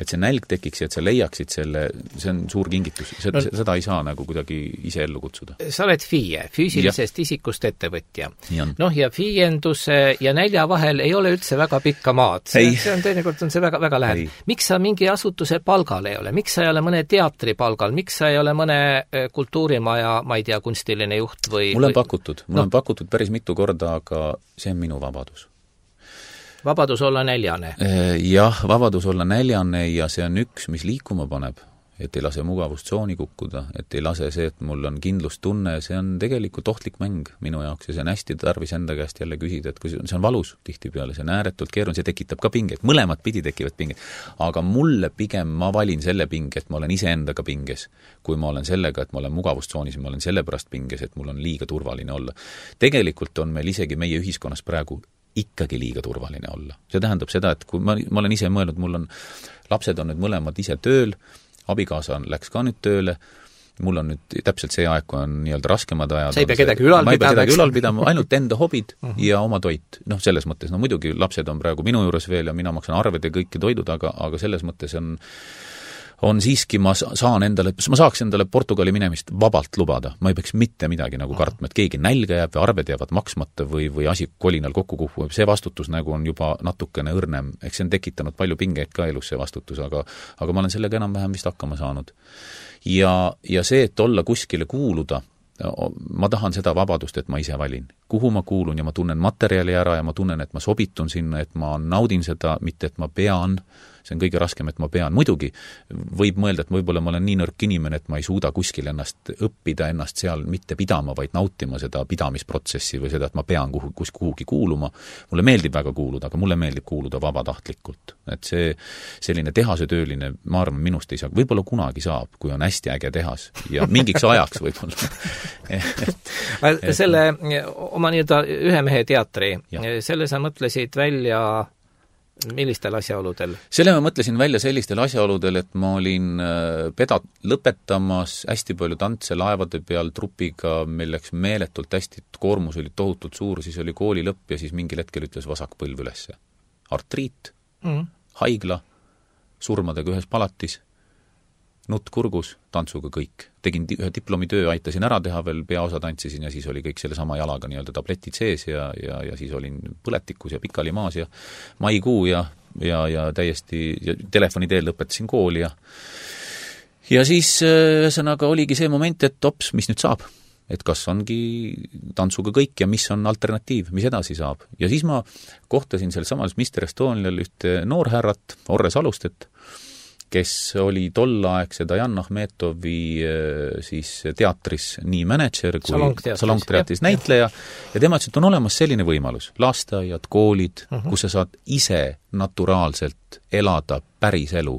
see nälg tekiks ja et sa leiaksid selle, see on suur kingitus. Seda ei saa nagu kuidagi ise ellu kutsuda. Sa oled FIE, füüsilisest isikust ettevõtja. Ja FIE-enduse ja nälja vahel ei ole üldse väga pikka maad. See on teinekord on see väga, väga läheb. Miks sa mingi asutuse palgal ei ole? Miks sa ei ole mõne teatri palgal? Miks sa ei ole mõne kultuurimaja, ma ei tea, kunstiline juht või... Mul on pakutud päris mitu korda, aga see on minu vabadus. Vabadus olla näljane? Jah, vabadus olla näljane ja see on üks, mis liikuma paneb. Et ei lase mugavustsooni kukkuda, et ei lase see, et mul on kindlustunne, see on tegelikult ohtlik mäng minu jaoks ja see on hästi tarvis enda käest jälle küsida, et kui see on valus tihtipeale, see on ääretult keeruline, see tekitab ka pinget, mõlemad pidi tekivad pinget, aga mulle pigem ma valin selle pinge, et ma olen iseendaga pinges, kui ma olen sellega, et ma olen mugavustsoonis ja ma olen sellepärast pinges, et mul on liiga turvaline olla. Tegelikult on meil isegi meie ühiskonnas praegu ikkagi liiga turvaline olla. See tähendab seda, et kui ma olen ise mõelnud, mul on lapsed on nüüd mõlemad ise tööl, abikaasa läks ka nüüd tööle, mul on nüüd täpselt see aeg, kui on nii-öelda raskemad ajad. Sa ei pea kedagi ülal pidama, ainult enda hobid ja oma toit. Selles mõttes, muidugi lapsed on praegu minu juures veel ja mina maksan arved ja kõiki toidud, aga selles mõttes on siiski, ma saaks endale Portugali minemist vabalt lubada. Ma ei peaks mitte midagi nagu kartma, et keegi nälga jääb või arved jäävad maksmata või asi kolinal kokku kuhub. See vastutus nagu on juba natukene õrnem. Eks see on tekitanud palju pingeid ka elus see vastutus, aga ma olen sellega enam-vähem vist hakkama saanud. Ja see, et olla kuskile kuuluda, ma tahan seda vabadust, et ma ise valin. Kuhu ma kuulun ja ma tunnen materjali ära ja ma tunnen, et ma sobitun sinna, et ma naudin seda, mitte et ma pean. See on kõige raskem, et ma pean. Muidugi võib mõelda, et võib-olla ma olen nii nõrk inimene, et ma ei suuda kuskil õppida ennast seal mitte pidama, vaid nautima seda pidamisprotsessi või seda, et ma pean kuhugi kuuluma. Mulle meeldib väga kuuluda, aga mulle meeldib kuuluda vabatahtlikult. Et see selline tehasetööline, ma arvan, minust ei saa. Võib-olla kunagi saab, kui on hästi äge tehas ja mingiks ajaks võib-olla. Selle oma nii-öelda ühe mehe teatri, selle sa mõtlesid välja millistel asjaoludel? Selle ma mõtlesin välja sellistel asjaoludel, et ma olin lõpetamas hästi palju tantse laevade peal trupiga, meil läks meeletult hästi, koormus oli tohutult suur, siis oli kooli lõpp ja siis mingil hetkel ütles vasak põlv ülesse. Artriit, haigla, surmadega ühes palatis, nutt kurgus, tantsuga kõik. Tegin ühe diplomitöö, aitasin ära teha veel, peaosa tantsisin ja siis oli kõik selle sama jalaga nii-öelda tabletid sees ja siis olin põletikus ja pikali maas ja maikuu ja täiesti ja telefoni teel lõpetasin kooli ja siis ühesõnaga oligi see moment, et ops, mis nüüd saab? Et kas ongi tantsuga kõik ja mis on alternatiiv, mis edasi saab. Ja siis ma kohtasin seal samas Mr. Estonial ühte noorhärrat, Orre Salustet, kes oli tollaegse Dajan Ahmetovi siis teatris nii manager kui salongteatris näitleja ja tema ütles, et on olemas selline võimalus, lasteaiad, koolid, kus sa saad ise naturaalselt elada päris elu.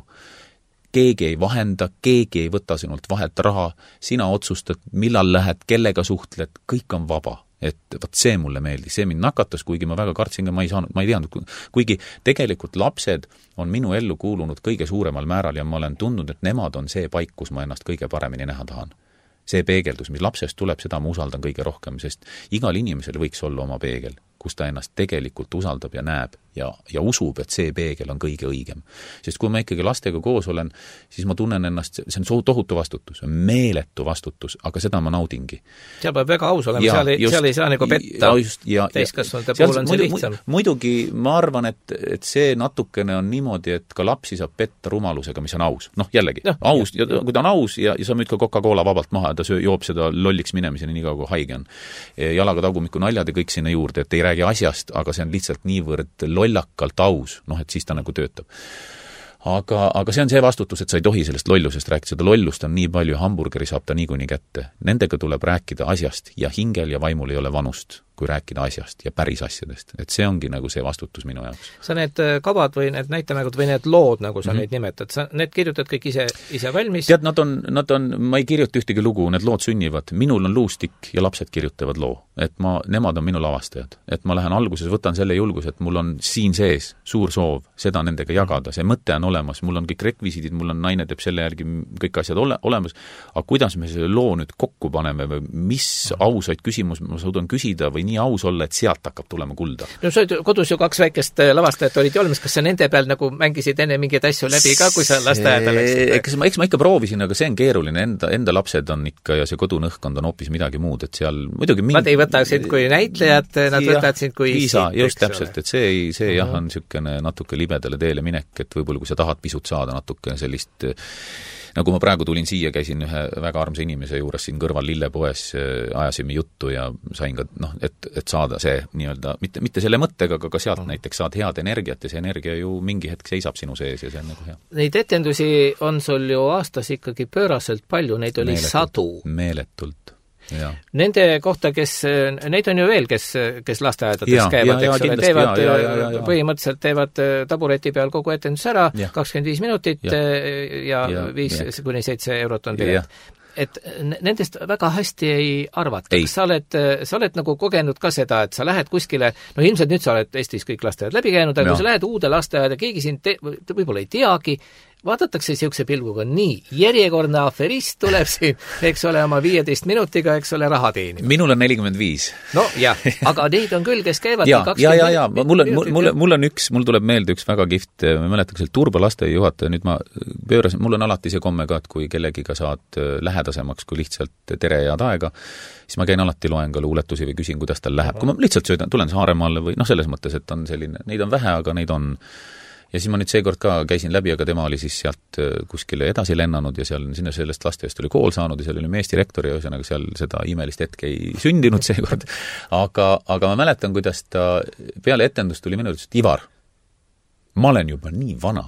Keegi ei vahenda, keegi ei võta sinult vahet raha, sina otsustad, millal lähed, kellega suhtled, kõik on vaba. Et võt see mulle meeldis, see mind nakatas, kuigi ma väga kartsin, ma ei teadnud, kuigi tegelikult lapsed on minu ellu kuulunud kõige suuremal määral ja ma olen tundnud, et nemad on see paik, kus ma ennast kõige paremini näha tahan. See peegeldus, mis lapsest tuleb, seda ma usaldan kõige rohkem, sest igal inimesel võiks olla oma peegel, kus ta ennast tegelikult usaldab ja näeb ja usub, et see peegel on kõige õigem. Sest kui ma ikkagi lastega koos olen, siis ma tunnen ennast, see on tohutu vastutus, meeletu vastutus, aga seda ma naudingi. Seal peab väga aus olema, seal ei saa nagu petta. Täiskasvanute puhul on see lihtsam. Muidugi ma arvan, et see natukene on niimoodi, et ka lapsi saab petta rumalusega, mis on aus. Jällegi, aus, ja kui ta on aus ja sa müüd ka Coca-Cola vabalt maha ja ta joob seda lolliks minemiseni nii kaua, kui haige on. Jalaga tagumiku naljad ja kõik sinna juurde, et ei räägi asjast, aga see on lihtsalt niivõrd lollakalt aus, et siis ta nagu töötab. Aga see on see vastutus, et sa ei tohi sellest lollusest rääkida, seda lollust on nii palju, hamburgeri saab ta niikuinii kätte. Nendega tuleb rääkida asjast ja hingel ja vaimul ei ole vanust, kui rääkida asjast ja päris asjadest. Et see ongi nagu see vastutus minu jaoks. Sa need kavad või need näitemängud või need lood, nagu sa neid nimetad, sa need kirjutad kõik ise valmis? Tead, nad on, ma ei kirjuta ühtegi lugu, need lood sünnivad. Minul on luustik ja lapsed kirjutavad loo. Et nemad on minu lavastajad. Et ma lähen alguses, võtan selle julgus, et mul on siin sees suur soov seda nendega jagada. See mõte on olemas, mul on kõik rekvisiidid, mul on naine teeb selle järgi kõik asjad olemas. Aga kuidas me selle loo nüüd kokku paneme või mis ausaid küsimus ma suudan küsida või nii aus olla, et sealt hakkab tulema kulda? No sa kodus ju 2 väikest lavastajat olid ju olemas, kas sa nende peal nagu mängisid enne mingeid asju läbi ka, kui sa lasteaeda läksid? Eks ma ikka proovisin, aga see on keeruline, enda lapsed on ikka ja see kodunõhkond on hoopis midagi muud, et seal muidugi Nad ei võta sind kui näitlejad, nad võtavad sind kui Liisa, just täpselt, et see jah, on niisugune natuke libedale teele minek, et võib-olla kui sa tahad pisut saada natuke sellist nagu ma praegu tulin siia, käisin ühe väga armsa inimese juures siin kõrval lillepoes, ajasime juttu ja sain ka, et saada see nii-öelda, mitte selle mõttega, aga ka sealt näiteks saad head energiat ja see energia ju mingi hetk seisab sinu sees ja see on nagu hea. Neid etendusi on sul ju aastas ikkagi pööraselt palju, neid oli sadu. Meeletult. Ja. Nende kohta, neid on ju veel, kes lasteaedades käivad, eks ole, teevad, põhimõtteliselt teevad tabureti peal kogu etendus ära, 25 minutit ja 5-7 eurot on pilet. Et nendest väga hästi ei arvata. Sa oled nagu kogenud ka seda, et sa lähed kuskile, no ilmselt nüüd sa oled Eestis kõik lasteaed läbi käinud, aga kui sa lähed uude lasteaeda, keegi sind võib-olla ei teagi, vaadatakse siukse pilguga, nii, järjekordne aferist tuleb siin, eks ole, oma 15 minutiga, eks ole, raha teenib. Minul on 45. No jah, aga neid on küll, kes käivad ja, mul tuleb meelde üks väga kihvt, ma mäletan, seal Turba lasteaia juhataja, nüüd ma pöörasin, mul on alati see komme ka, et kui kellegiga saad lähedasemaks kui lihtsalt tere ja aega, siis ma käin alati, loen ka luuletusi või küsin, kuidas tal läheb. Kui ma lihtsalt tulen Saaremaale või selles mõttes, et on selline, neid on vähe, aga neid on. Ja siis ma nüüd seekord ka käisin läbi, aga tema oli siis sealt kuskile edasi lennanud ja seal sinna sellest lasteaiast oli kool saanud ja seal oli meestirektor ja ühesõnaga seal seda imelist hetke ei sündinud seekord. Aga ma mäletan, kuidas ta peale etendust tuli minu, et Ivar, ma olen juba nii vana,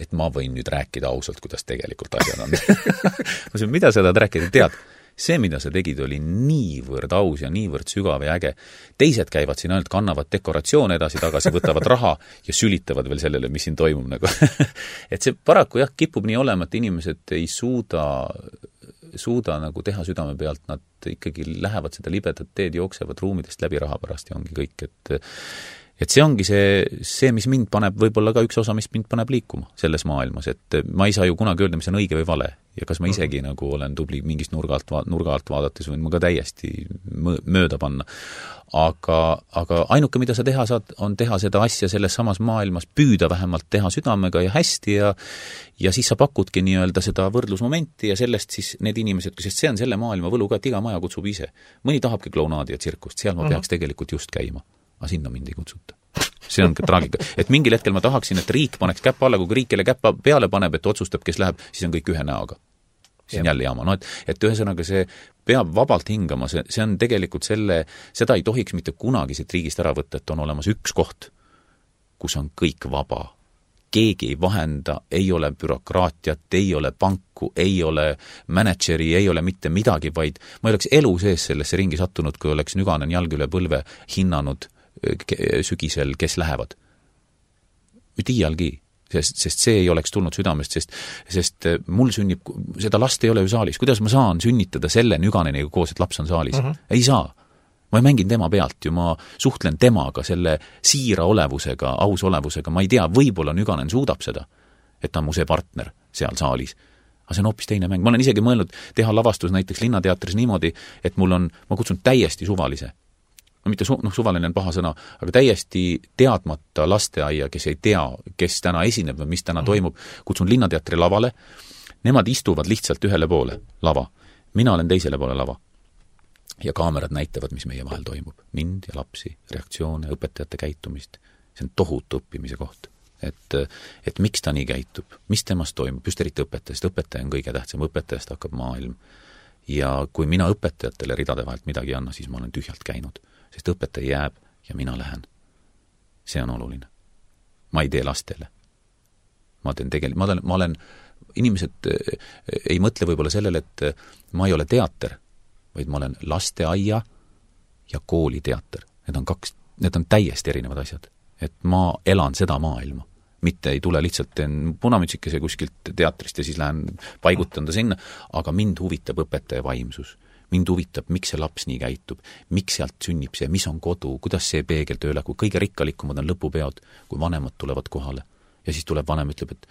et ma võin nüüd rääkida ausalt, kuidas tegelikult asjad on. Ma ütlesin, mida sa tahad rääkida? Tead, see, mida sa tegid, oli niivõrd aus ja niivõrd sügav ja äge. Teised käivad siin ainult, kannavad dekoratsioone edasi-tagasi, võtavad raha ja sülitavad veel sellele, mis siin toimub. Nagu. Et see paraku jah, kipub nii olema, et inimesed ei suuda nagu teha südame pealt, nad ikkagi lähevad seda libedat teed, jooksevad ruumidest läbi raha pärast ja ongi kõik, et see ongi see, mis mind paneb, võib-olla ka üks osa, mis mind paneb liikuma selles maailmas, et ma ei saa ju kunagi öelda, mis on õige või vale ja kas ma isegi nagu olen tubli mingist nurga alt vaadates võin ma ka täiesti mööda panna. Aga ainuke, mida sa teha saad, on teha seda asja selles samas maailmas, püüda vähemalt teha südamega ja hästi ja siis sa pakudki nii-öelda seda võrdlusmomenti ja sellest siis need inimesed, sest see on selle maailma võlu ka, et iga maja kutsub ise. Mõni tahabki klounaadi ja tsirkust, seal ma peaks tegelikult just käima. Aga sinna mind ei kutsuta. See on ka traagika. Et mingil hetkel ma tahaksin, et riik paneks käppa alla, kui riik kelle käppa peale paneb, et otsustab, kes läheb, siis on kõik ühe näoga. See on jälle jaama. No, et ühesõnaga see peab vabalt hingama, see on tegelikult seda ei tohiks mitte kunagi siit riigist ära võtta, et on olemas üks koht, kus on kõik vaba. Keegi ei vahenda, ei ole bürokraatiat, ei ole panku, ei ole manageri, ei ole mitte midagi, vaid ma ei oleks elu sees sellesse ringi sattunud, kui oleks Nüganen jalg üle põlve hinnanud sügisel, kes lähevad. Mitte iialgi, sest see ei oleks tulnud südamest, sest mul sünnib, seda last ei ole ju saalis. Kuidas ma saan sünnitada selle Nüganeniga koos, et laps on saalis? Ei saa. Ma mängin tema pealt ju, ma suhtlen temaga selle siira olevusega, aus olevusega, ma ei tea, võib-olla Nüganen suudab seda, et ta on mu see partner seal saalis. Aga see on hoopis teine mäng. Ma olen isegi mõelnud teha lavastus näiteks Linnateatris niimoodi, et ma kutsun täiesti suvalise. Mitte suvaline on paha sõna, aga täiesti teadmata lasteaia, kes ei tea, kes täna esineb või mis täna toimub, kutsun Linnateatri lavale. Nemad istuvad lihtsalt ühele poole lava. Mina olen teisele poole lava. Ja kaamerad näitavad, mis meie vahel toimub. Mind ja lapsi, reaktsioone, õpetajate käitumist. See on tohutu õppimise koht. Et miks ta nii käitub, mis temast toimub, just eriti õpetajast. Õpetaja on kõige tähtsam, õpetajast hakkab maailm. Ja kui mina õpetajatele ridade vahelt midagi anna, siis ma olen tühjalt käinud. Sest õpetaja jääb ja mina lähen. See on oluline. Ma ei tee lastele. ma olen, inimesed ei mõtle võib-olla sellele, et ma ei ole teater, vaid ma olen lasteaia ja kooli teater. Need on täiesti erinevad asjad. Et ma elan seda maailma. Mitte ei tule lihtsalt teen punamütsikese kuskilt teatrist ja siis lähen paigutan ta sinna, aga mind huvitab õpetaja vaimsus. Mind huvitab, miks see laps nii käitub, miks sealt sünnib see, mis on kodu, kuidas see peegel tööle, kui kõige rikkalikumad on lõpupeod, kui vanemad tulevad kohale. Ja siis tuleb vanem, ütleb, et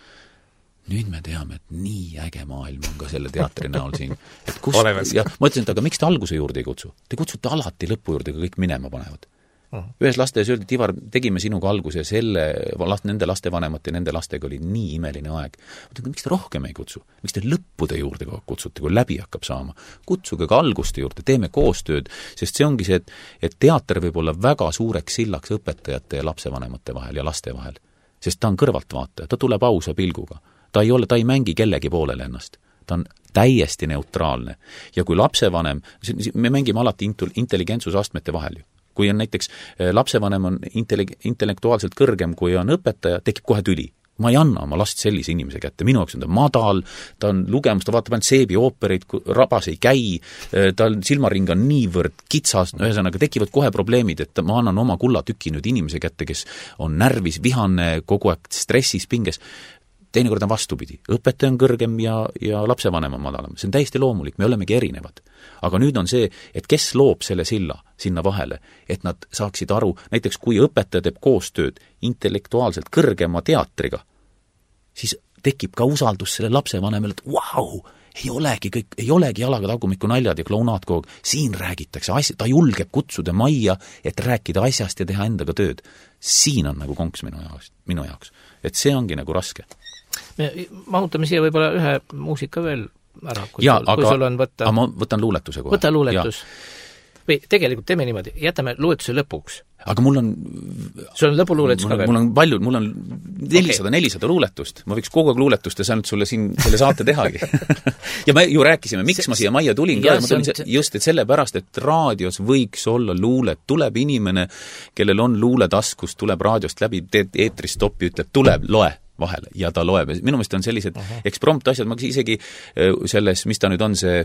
nüüd me teame, et nii äge maailm on ka selle teatri näol siin. Et kus, ja ma ütlesin, et aga miks te alguse juurde ei kutsu? Te kutsute alati lõpu juurde, kui kõik minema panevad. Ühes lasteaias öeldi, et Ivar, tegime sinuga alguse nende lastevanemate ja nende lastega oli nii imeline aeg. Miks te rohkem ei kutsu? Miks te lõppude juurde kutsute, kui läbi hakkab saama? Kutsuge ka alguste juurde, teeme koostööd, sest see ongi see, et teater võib olla väga suureks sillaks õpetajate ja lapsevanemate vahel ja laste vahel. Sest ta on kõrvaltvaataja, ta tuleb ausa pilguga. Ta ei mängi kellegi poolele ennast. Ta on täiesti neutraalne. Ja kui lapsevanem, me mängime alati intelligentsusastmete vahel ju. Kui on näiteks lapsevanem on intellektuaalselt kõrgem, kui on õpetaja, tekib kohe tüli. Ma ei anna oma last sellise inimese kätte. Minu jaoks on ta madal, ta on lugemus, ta vaatab ainult seebi oopereid, rabas ei käi, ta silmaring on niivõrd kitsas, ühesõnaga tekivad kohe probleemid, et ma annan oma kullatüki nüüd inimese kätte, kes on närvis, vihane, kogu aeg stressis, pinges. Teinekord on vastupidi. Õpetaja on kõrgem ja lapsevanem on madalam. See on täiesti loomulik, me olemegi erinevad. Aga nüüd on see, et kes loob selle silla sinna vahele, et nad saaksid aru, näiteks kui õpetaja teeb koostööd intellektuaalselt kõrgema teatriga, siis tekib ka usaldus selle lapsevanemale, et vau, ei olegi jalaga tagumiku naljad ja klounaad kogu. Siin räägitakse asja, ta julgeb kutsuda majja, et rääkida asjast ja teha endaga tööd. Siin on nagu konks minu jaoks. Et see ongi nagu raske. Me mahutame siia võib-olla ühe muusika veel ära, kui sul on võtta... Aga ma võtan luuletuse kohe. Võta luuletus. Või tegelikult teeme niimoodi, jätame luuletuse lõpuks. Aga mul on... Sul on lõpuluuletus ka veel? Mul on 400 luuletust. Ma võiks kogu aeg luuletust ja saanud sulle siin selle saate tehagi. Ja me ju rääkisime, miks ma siia majja tulin ka. Ma tulin just, et sellepärast, et raadios võiks olla luulet. Tuleb inimene, kellel on luuletaskus, tuleb raadiost läbi, teed eetris stoppi, ütleb, tuleb, loe vahele ja ta loeb. Minu meelest on sellised eksprompt asjad, ma isegi selles, mis ta nüüd on, see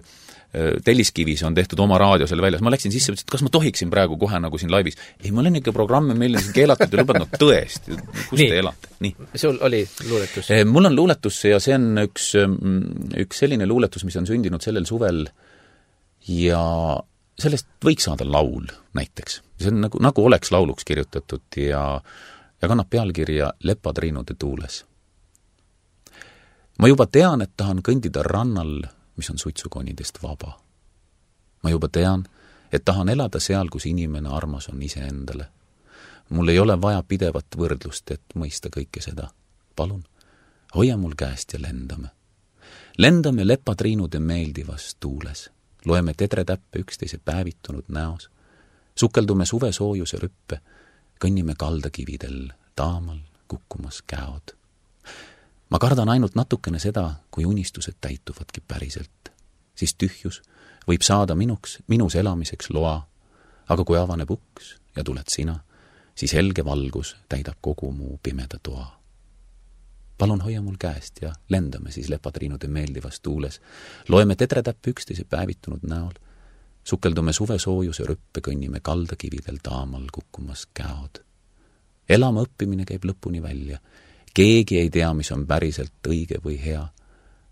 Telliskivis on tehtud oma raadio selle väljas. Ma läksin sisse, et kas ma tohiksin praegu kohe nagu siin laivis? Ei, ma olen ikka programme, meil on siin keelatud ja lubad, no tõesti, kus te elate? Nii. Sul oli luuletus? Mul on luuletus ja see on üks selline luuletus, mis on sündinud sellel suvel ja sellest võiks saada laul näiteks. See on nagu oleks lauluks kirjutatud ja kannab pealkirja Lepatriinude tuules. Ma juba tean, et tahan kõndida rannal, mis on suitsukonidest vaba. Ma juba tean, et tahan elada seal, kus inimene armas on iseendale. Mul ei ole vaja pidevat võrdlust, et mõista kõike seda. Palun, hoia mul käest ja lendame. Lendame Lepatriinude meeldivas tuules. Loeme tedretäppe üksteise päevitunud näos. Sukeldume suve soojuse rüppe. Kõnnime kaldakividel, taamal kukkumas käod. Ma kardan ainult natukene seda, kui unistused täituvadki päriselt. Siis tühjus võib saada minus elamiseks loa, aga kui avaneb uks ja tuled sina, siis helge valgus täidab kogu muu pimeda toa. Palun hoia mul käest ja lendame siis Lepatriinude meeldivas tuules. Loeme tedretäppe üksteise päevitunud näol. Sukeldume suve soojuse rüppe, kõnnime kaldakividel taamal kukkumas käod. Elama õppimine käib lõpuni välja. Keegi ei tea, mis on päriselt õige või hea.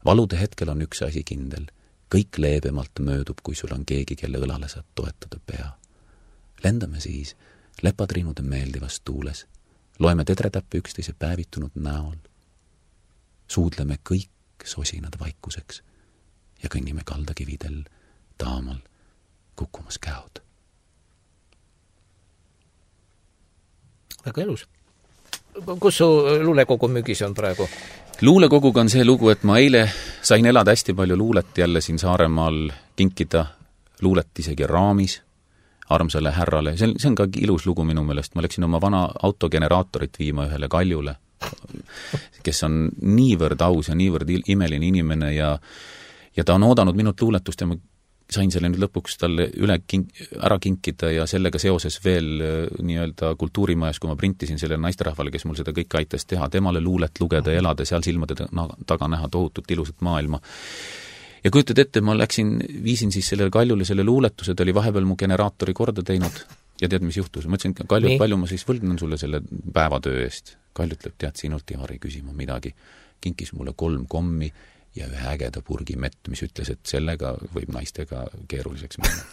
Valude hetkel on üks asi kindel. Kõik leebemalt möödub, kui sul on keegi, kelle õlale saad toetada pea. Lendame siis Lepatriinude meeldivas tuules. Loeme tedretäppe üksteise päevitunud näol. Suudleme kõik sosinad vaikuseks ja kõnnime kaldakividel taamal kukkumas käod. Väga elus. Kus su luulekogu müügis on praegu? Luulekoguga on see lugu, et ma eile sain elada hästi palju luulet jälle siin Saaremaal, kinkida luulet isegi raamis armsale härrale. See on ka ilus lugu minu meelest. Ma läksin oma vana autogeneraatorit viima ühele Kaljule, kes on niivõrd aus ja niivõrd imeline inimene ja ta on oodanud minut luuletust ja ma sain selle nüüd lõpuks talle ära kinkida ja sellega seoses veel nii-öelda kultuurimajas, kui ma printisin sellele naisterahvale, kes mul seda kõike aitas teha, temale luulet lugeda ja elada, seal silmade taga näha tohutut ilusat maailma. Ja kujutad ette, ma viisin siis sellele Kaljule selle luuletuse, ta oli vahepeal mu generaatori korda teinud ja tead, mis juhtus? Ma ütlesin, Kalju, palju ma siis võlgnen sulle selle päevatöö eest. Kalju ütleb, tead, sinult ei küsima midagi. Kinkis mulle 3 kommi ja ühe ägeda purgi mett, mis ütles, et sellega võib naistega keeruliseks minna.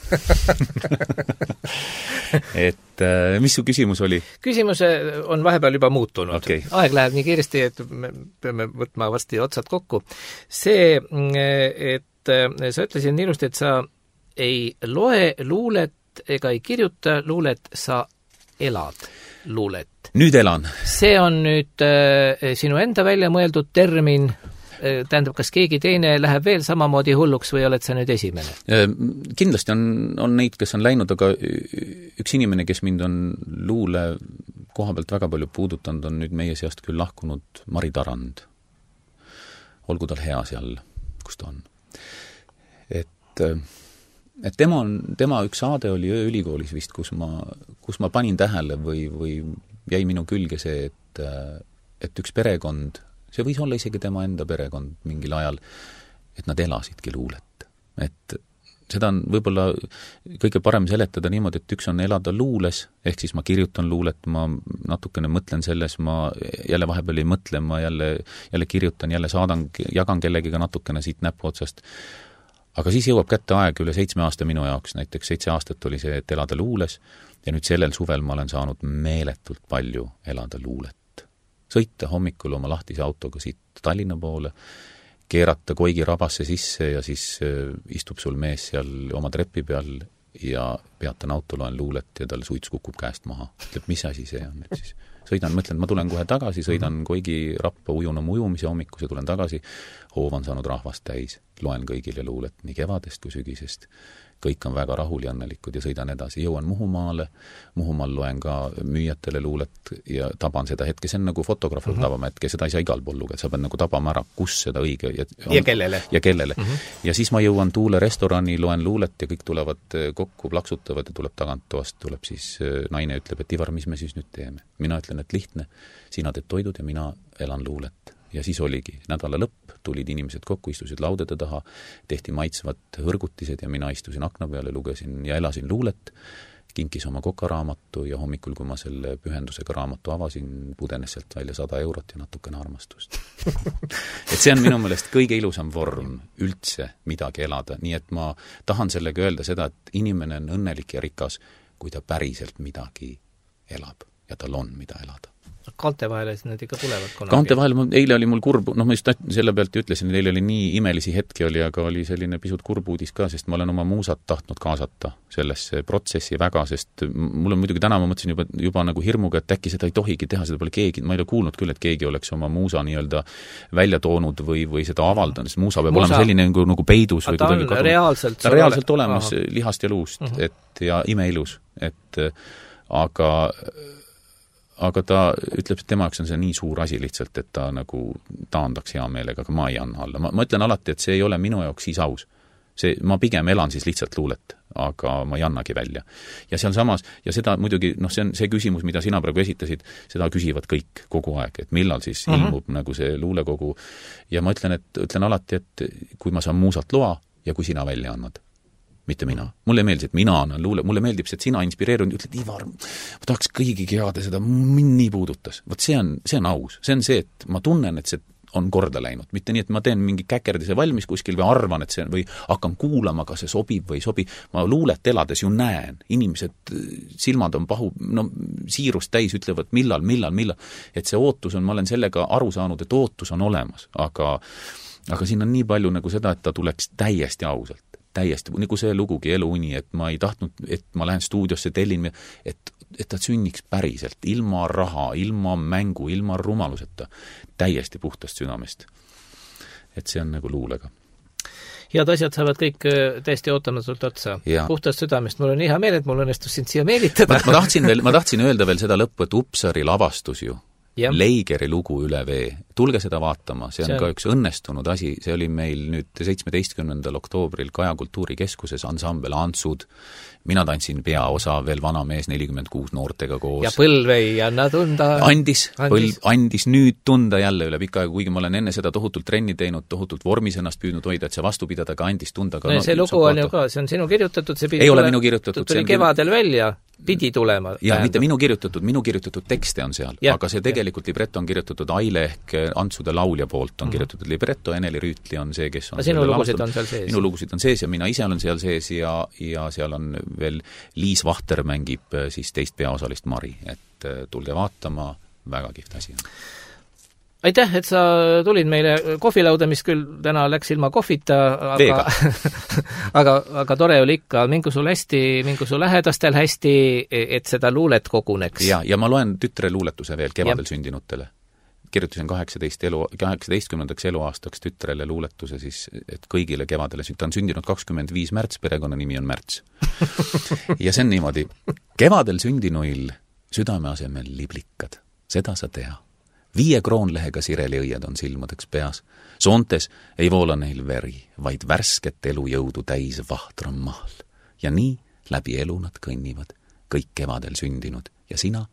Et mis su küsimus oli? Küsimus on vahepeal juba muutunud. Okay. Aeg läheb nii kiiresti, et me peame võtma varsti otsad kokku. See, et sa ütlesid ilusti, et sa ei loe luulet ega ei kirjuta luulet, sa elad luulet. Nüüd elan. See on nüüd sinu enda välja mõeldud termin. Tähendab, kas keegi teine läheb veel samamoodi hulluks või oled sa nüüd esimene? Kindlasti on neid, kes on läinud, aga üks inimene, kes mind on luule koha pealt väga palju puudutanud, on nüüd meie seast küll lahkunud Mari Tarand. Olgu tal hea seal, kus ta on. Et tema üks saade oli Ööülikoolis vist, kus ma panin tähele või jäi minu külge see, et üks perekond, see võis olla isegi tema enda perekond mingil ajal, et nad elasidki luulet. Et seda on võib-olla kõige parem seletada niimoodi, et üks on elada luules, ehk siis ma kirjutan luulet, ma natukene mõtlen selles, ma jälle vahepeal ei mõtle, ma jälle kirjutan, jälle jagan kellegiga natukene siit näpu otsast. Aga siis jõuab kätte aeg üle 7 aasta minu jaoks, näiteks 7 aastat oli see, et elada luules, ja nüüd sellel suvel ma olen saanud meeletult palju elada luulet. Sõita hommikul oma lahtise autoga siit Tallinna poole, keerata Koigi rabasse sisse ja siis istub sul mees seal oma trepi peal ja peatan auto, loen luulet ja tal suits kukub käest maha. Ütleb, mis asi see on nüüd siis? Sõidan, mõtlen, ma tulen kohe tagasi, sõidan Koigi rappa ujun oma ujumise hommikuse, tulen tagasi, hoov on saanud rahvast täis, loen kõigile luulet nii kevadest kui sügisest. Kõik on väga rahul ja õnnelikud ja sõidan edasi. Jõuan Muhumaale, Muhumaal loen ka müüjatele luulet ja taban seda hetke. See on nagu fotograaf tabama hetke, seda ei saa igal pool lugeda. Sa pead nagu tabama ära, kus seda õige ja kellele. Ja kellele. Ja siis ma jõuan Tuule restorani, loen luulet ja kõik tulevad kokku, plaksutavad ja tuleb tagant toast, tuleb siis naine ütleb, et Ivar, mis me siis nüüd teeme? Mina ütlen, et lihtne, sina teed toidud ja mina elan luulet. Ja siis oligi nädala lõpp, tulid inimesed kokku, istusid laudade taha, tehti maitsvad hõrgutised ja mina istusin akna peale, lugesin ja elasin luulet, kinkis oma kokaraamatu ja hommikul, kui ma selle pühendusega raamatu avasin, pudenes sealt välja 100 eurot ja natukene armastust. Et see on minu meelest kõige ilusam vorm üldse midagi elada, nii et ma tahan sellega öelda seda, et inimene on õnnelik ja rikas, kui ta päriselt midagi elab ja tal on mida elada. Kaante vahele siis need ikka tulevad kunagi? Kaante vahele, eile oli mul kurb, ma just selle pealt ütlesin, et eile oli nii imelisi hetki oli, aga oli selline pisut kurb uudis ka, sest ma olen oma muusat tahtnud kaasata sellesse protsessi väga, sest mul on muidugi täna, ma mõtlesin juba nagu hirmuga, et äkki seda ei tohigi teha, seda pole keegi, ma ei ole kuulnud küll, et keegi oleks oma muusa nii-öelda välja toonud või seda avaldanud, sest muusa peab olema selline nagu peidus. Ta on reaalselt olemas lihast ja luust, ja imeilus, aga ta ütleb, et tema jaoks on see nii suur asi lihtsalt, et ta nagu taandaks hea meelega, aga ma ei anna alla. Ma ütlen alati, et see ei ole minu jaoks siis aus. Ma pigem elan siis lihtsalt luulet, aga ma ei annagi välja. Ja seal samas, ja seda muidugi, see on see küsimus, mida sina praegu esitasid, seda küsivad kõik kogu aeg, et millal siis ilmub nagu see luulekogu. Ja ma ütlen alati, et kui ma saan muusat loa ja kui sina välja annad. Mitte mina. Mulle meeldib, et mina annan luule. Mulle meeldib, et sina inspireerun ja ütled, Ivar, ma tahaks kõigigi heada seda, mind nii puudutas. Võt see on aus. See on see, et ma tunnen, et see on korda läinud. Mitte nii, et ma teen mingi käkerdise valmis kuskil või arvan, et see või hakkan kuulama, kas see sobib või ei sobi. Ma luulet elades ju näen. Inimesed, silmad on siirust täis, ütlevad millal. Et see ootus on, ma olen sellega aru saanud, et ootus on olemas. Aga siin on nii palju nagu seda, et ta tuleks täiesti ausalt. Täiesti, nagu see lugugi Eluuni, et ma ei tahtnud, et ma lähen stuudiosse, tellin, et ta sünniks päriselt, ilma raha, ilma mängu, ilma rumaluseta, täiesti puhtast südamest. Et see on nagu luulega. Head asjad saavad kõik täiesti ootamatult otsa. Puhtast südamest. Mul on hea meel, et mul õnnestus sind siia meelitada. Ma tahtsin öelda veel seda lõppu, et Upsari lavastus ju, Leigeri lugu Üle vee. Tulge seda vaatama, see on ka üks õnnestunud asi, see oli meil nüüd 17. oktoobril Kaja Kultuurikeskuses ansambel Antsud, mina tantsin peaosa, veel vana mees 46 noortega koos. Ja põlv ei anna tunda. Andis nüüd tunda jälle üle pika aega, kuigi ma olen enne seda tohutult trenni teinud, tohutult vormis ennast püüdnud hoida, et see vastu pidada, ka andis tunda. No, see lugu on ju ka, see on sinu kirjutatud, see ei ole minu kirjutatud. Tuli kevadel välja, pidi tulema. Ja mitte minu kirjutatud tekste on seal, aga see tegelikult libretto on kirjutatud Aile ehk Antsude laulja poolt on kirjutatud libretto, Eneli Rüütli on see, kes on sinu lugusid on seal sees. Minu lugusid on sees ja mina ise olen seal sees ja seal on veel Liis Vahter mängib siis teist peaosalist Mari, et tulge vaatama, väga kihvt asi on. Aitäh, et sa tulid meile kohvilauda, mis küll täna läks ilma kohvita, aga tore oli ikka, mingu sul hästi, mingu sul lähedastel hästi, et seda luulet koguneks. Ja ma loen tütre luuletuse veel kevadel sündinutele. Kirjutasin 18. eluaastaks tütrele luuletuse siis, et kõigile kevadele, ta on sündinud 25 märts, perekonnanimi on Märts. Ja see on niimoodi, kevadel sündinuil südame asemel liblikad, seda sa tea. 5 kroonlehega sireliõied on silmadeks peas. Soontes ei voola neil veri, vaid värsket elujõudu täis vahtram maal. Ja nii läbi elu nad kõnnivad, kõik kevadel sündinud. Ja sina,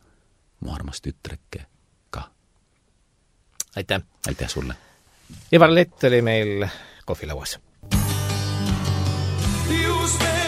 mu armas tütreke, ka. Aitäh! Aitäh sulle! Ivar Lett oli meil kohvilauas. Just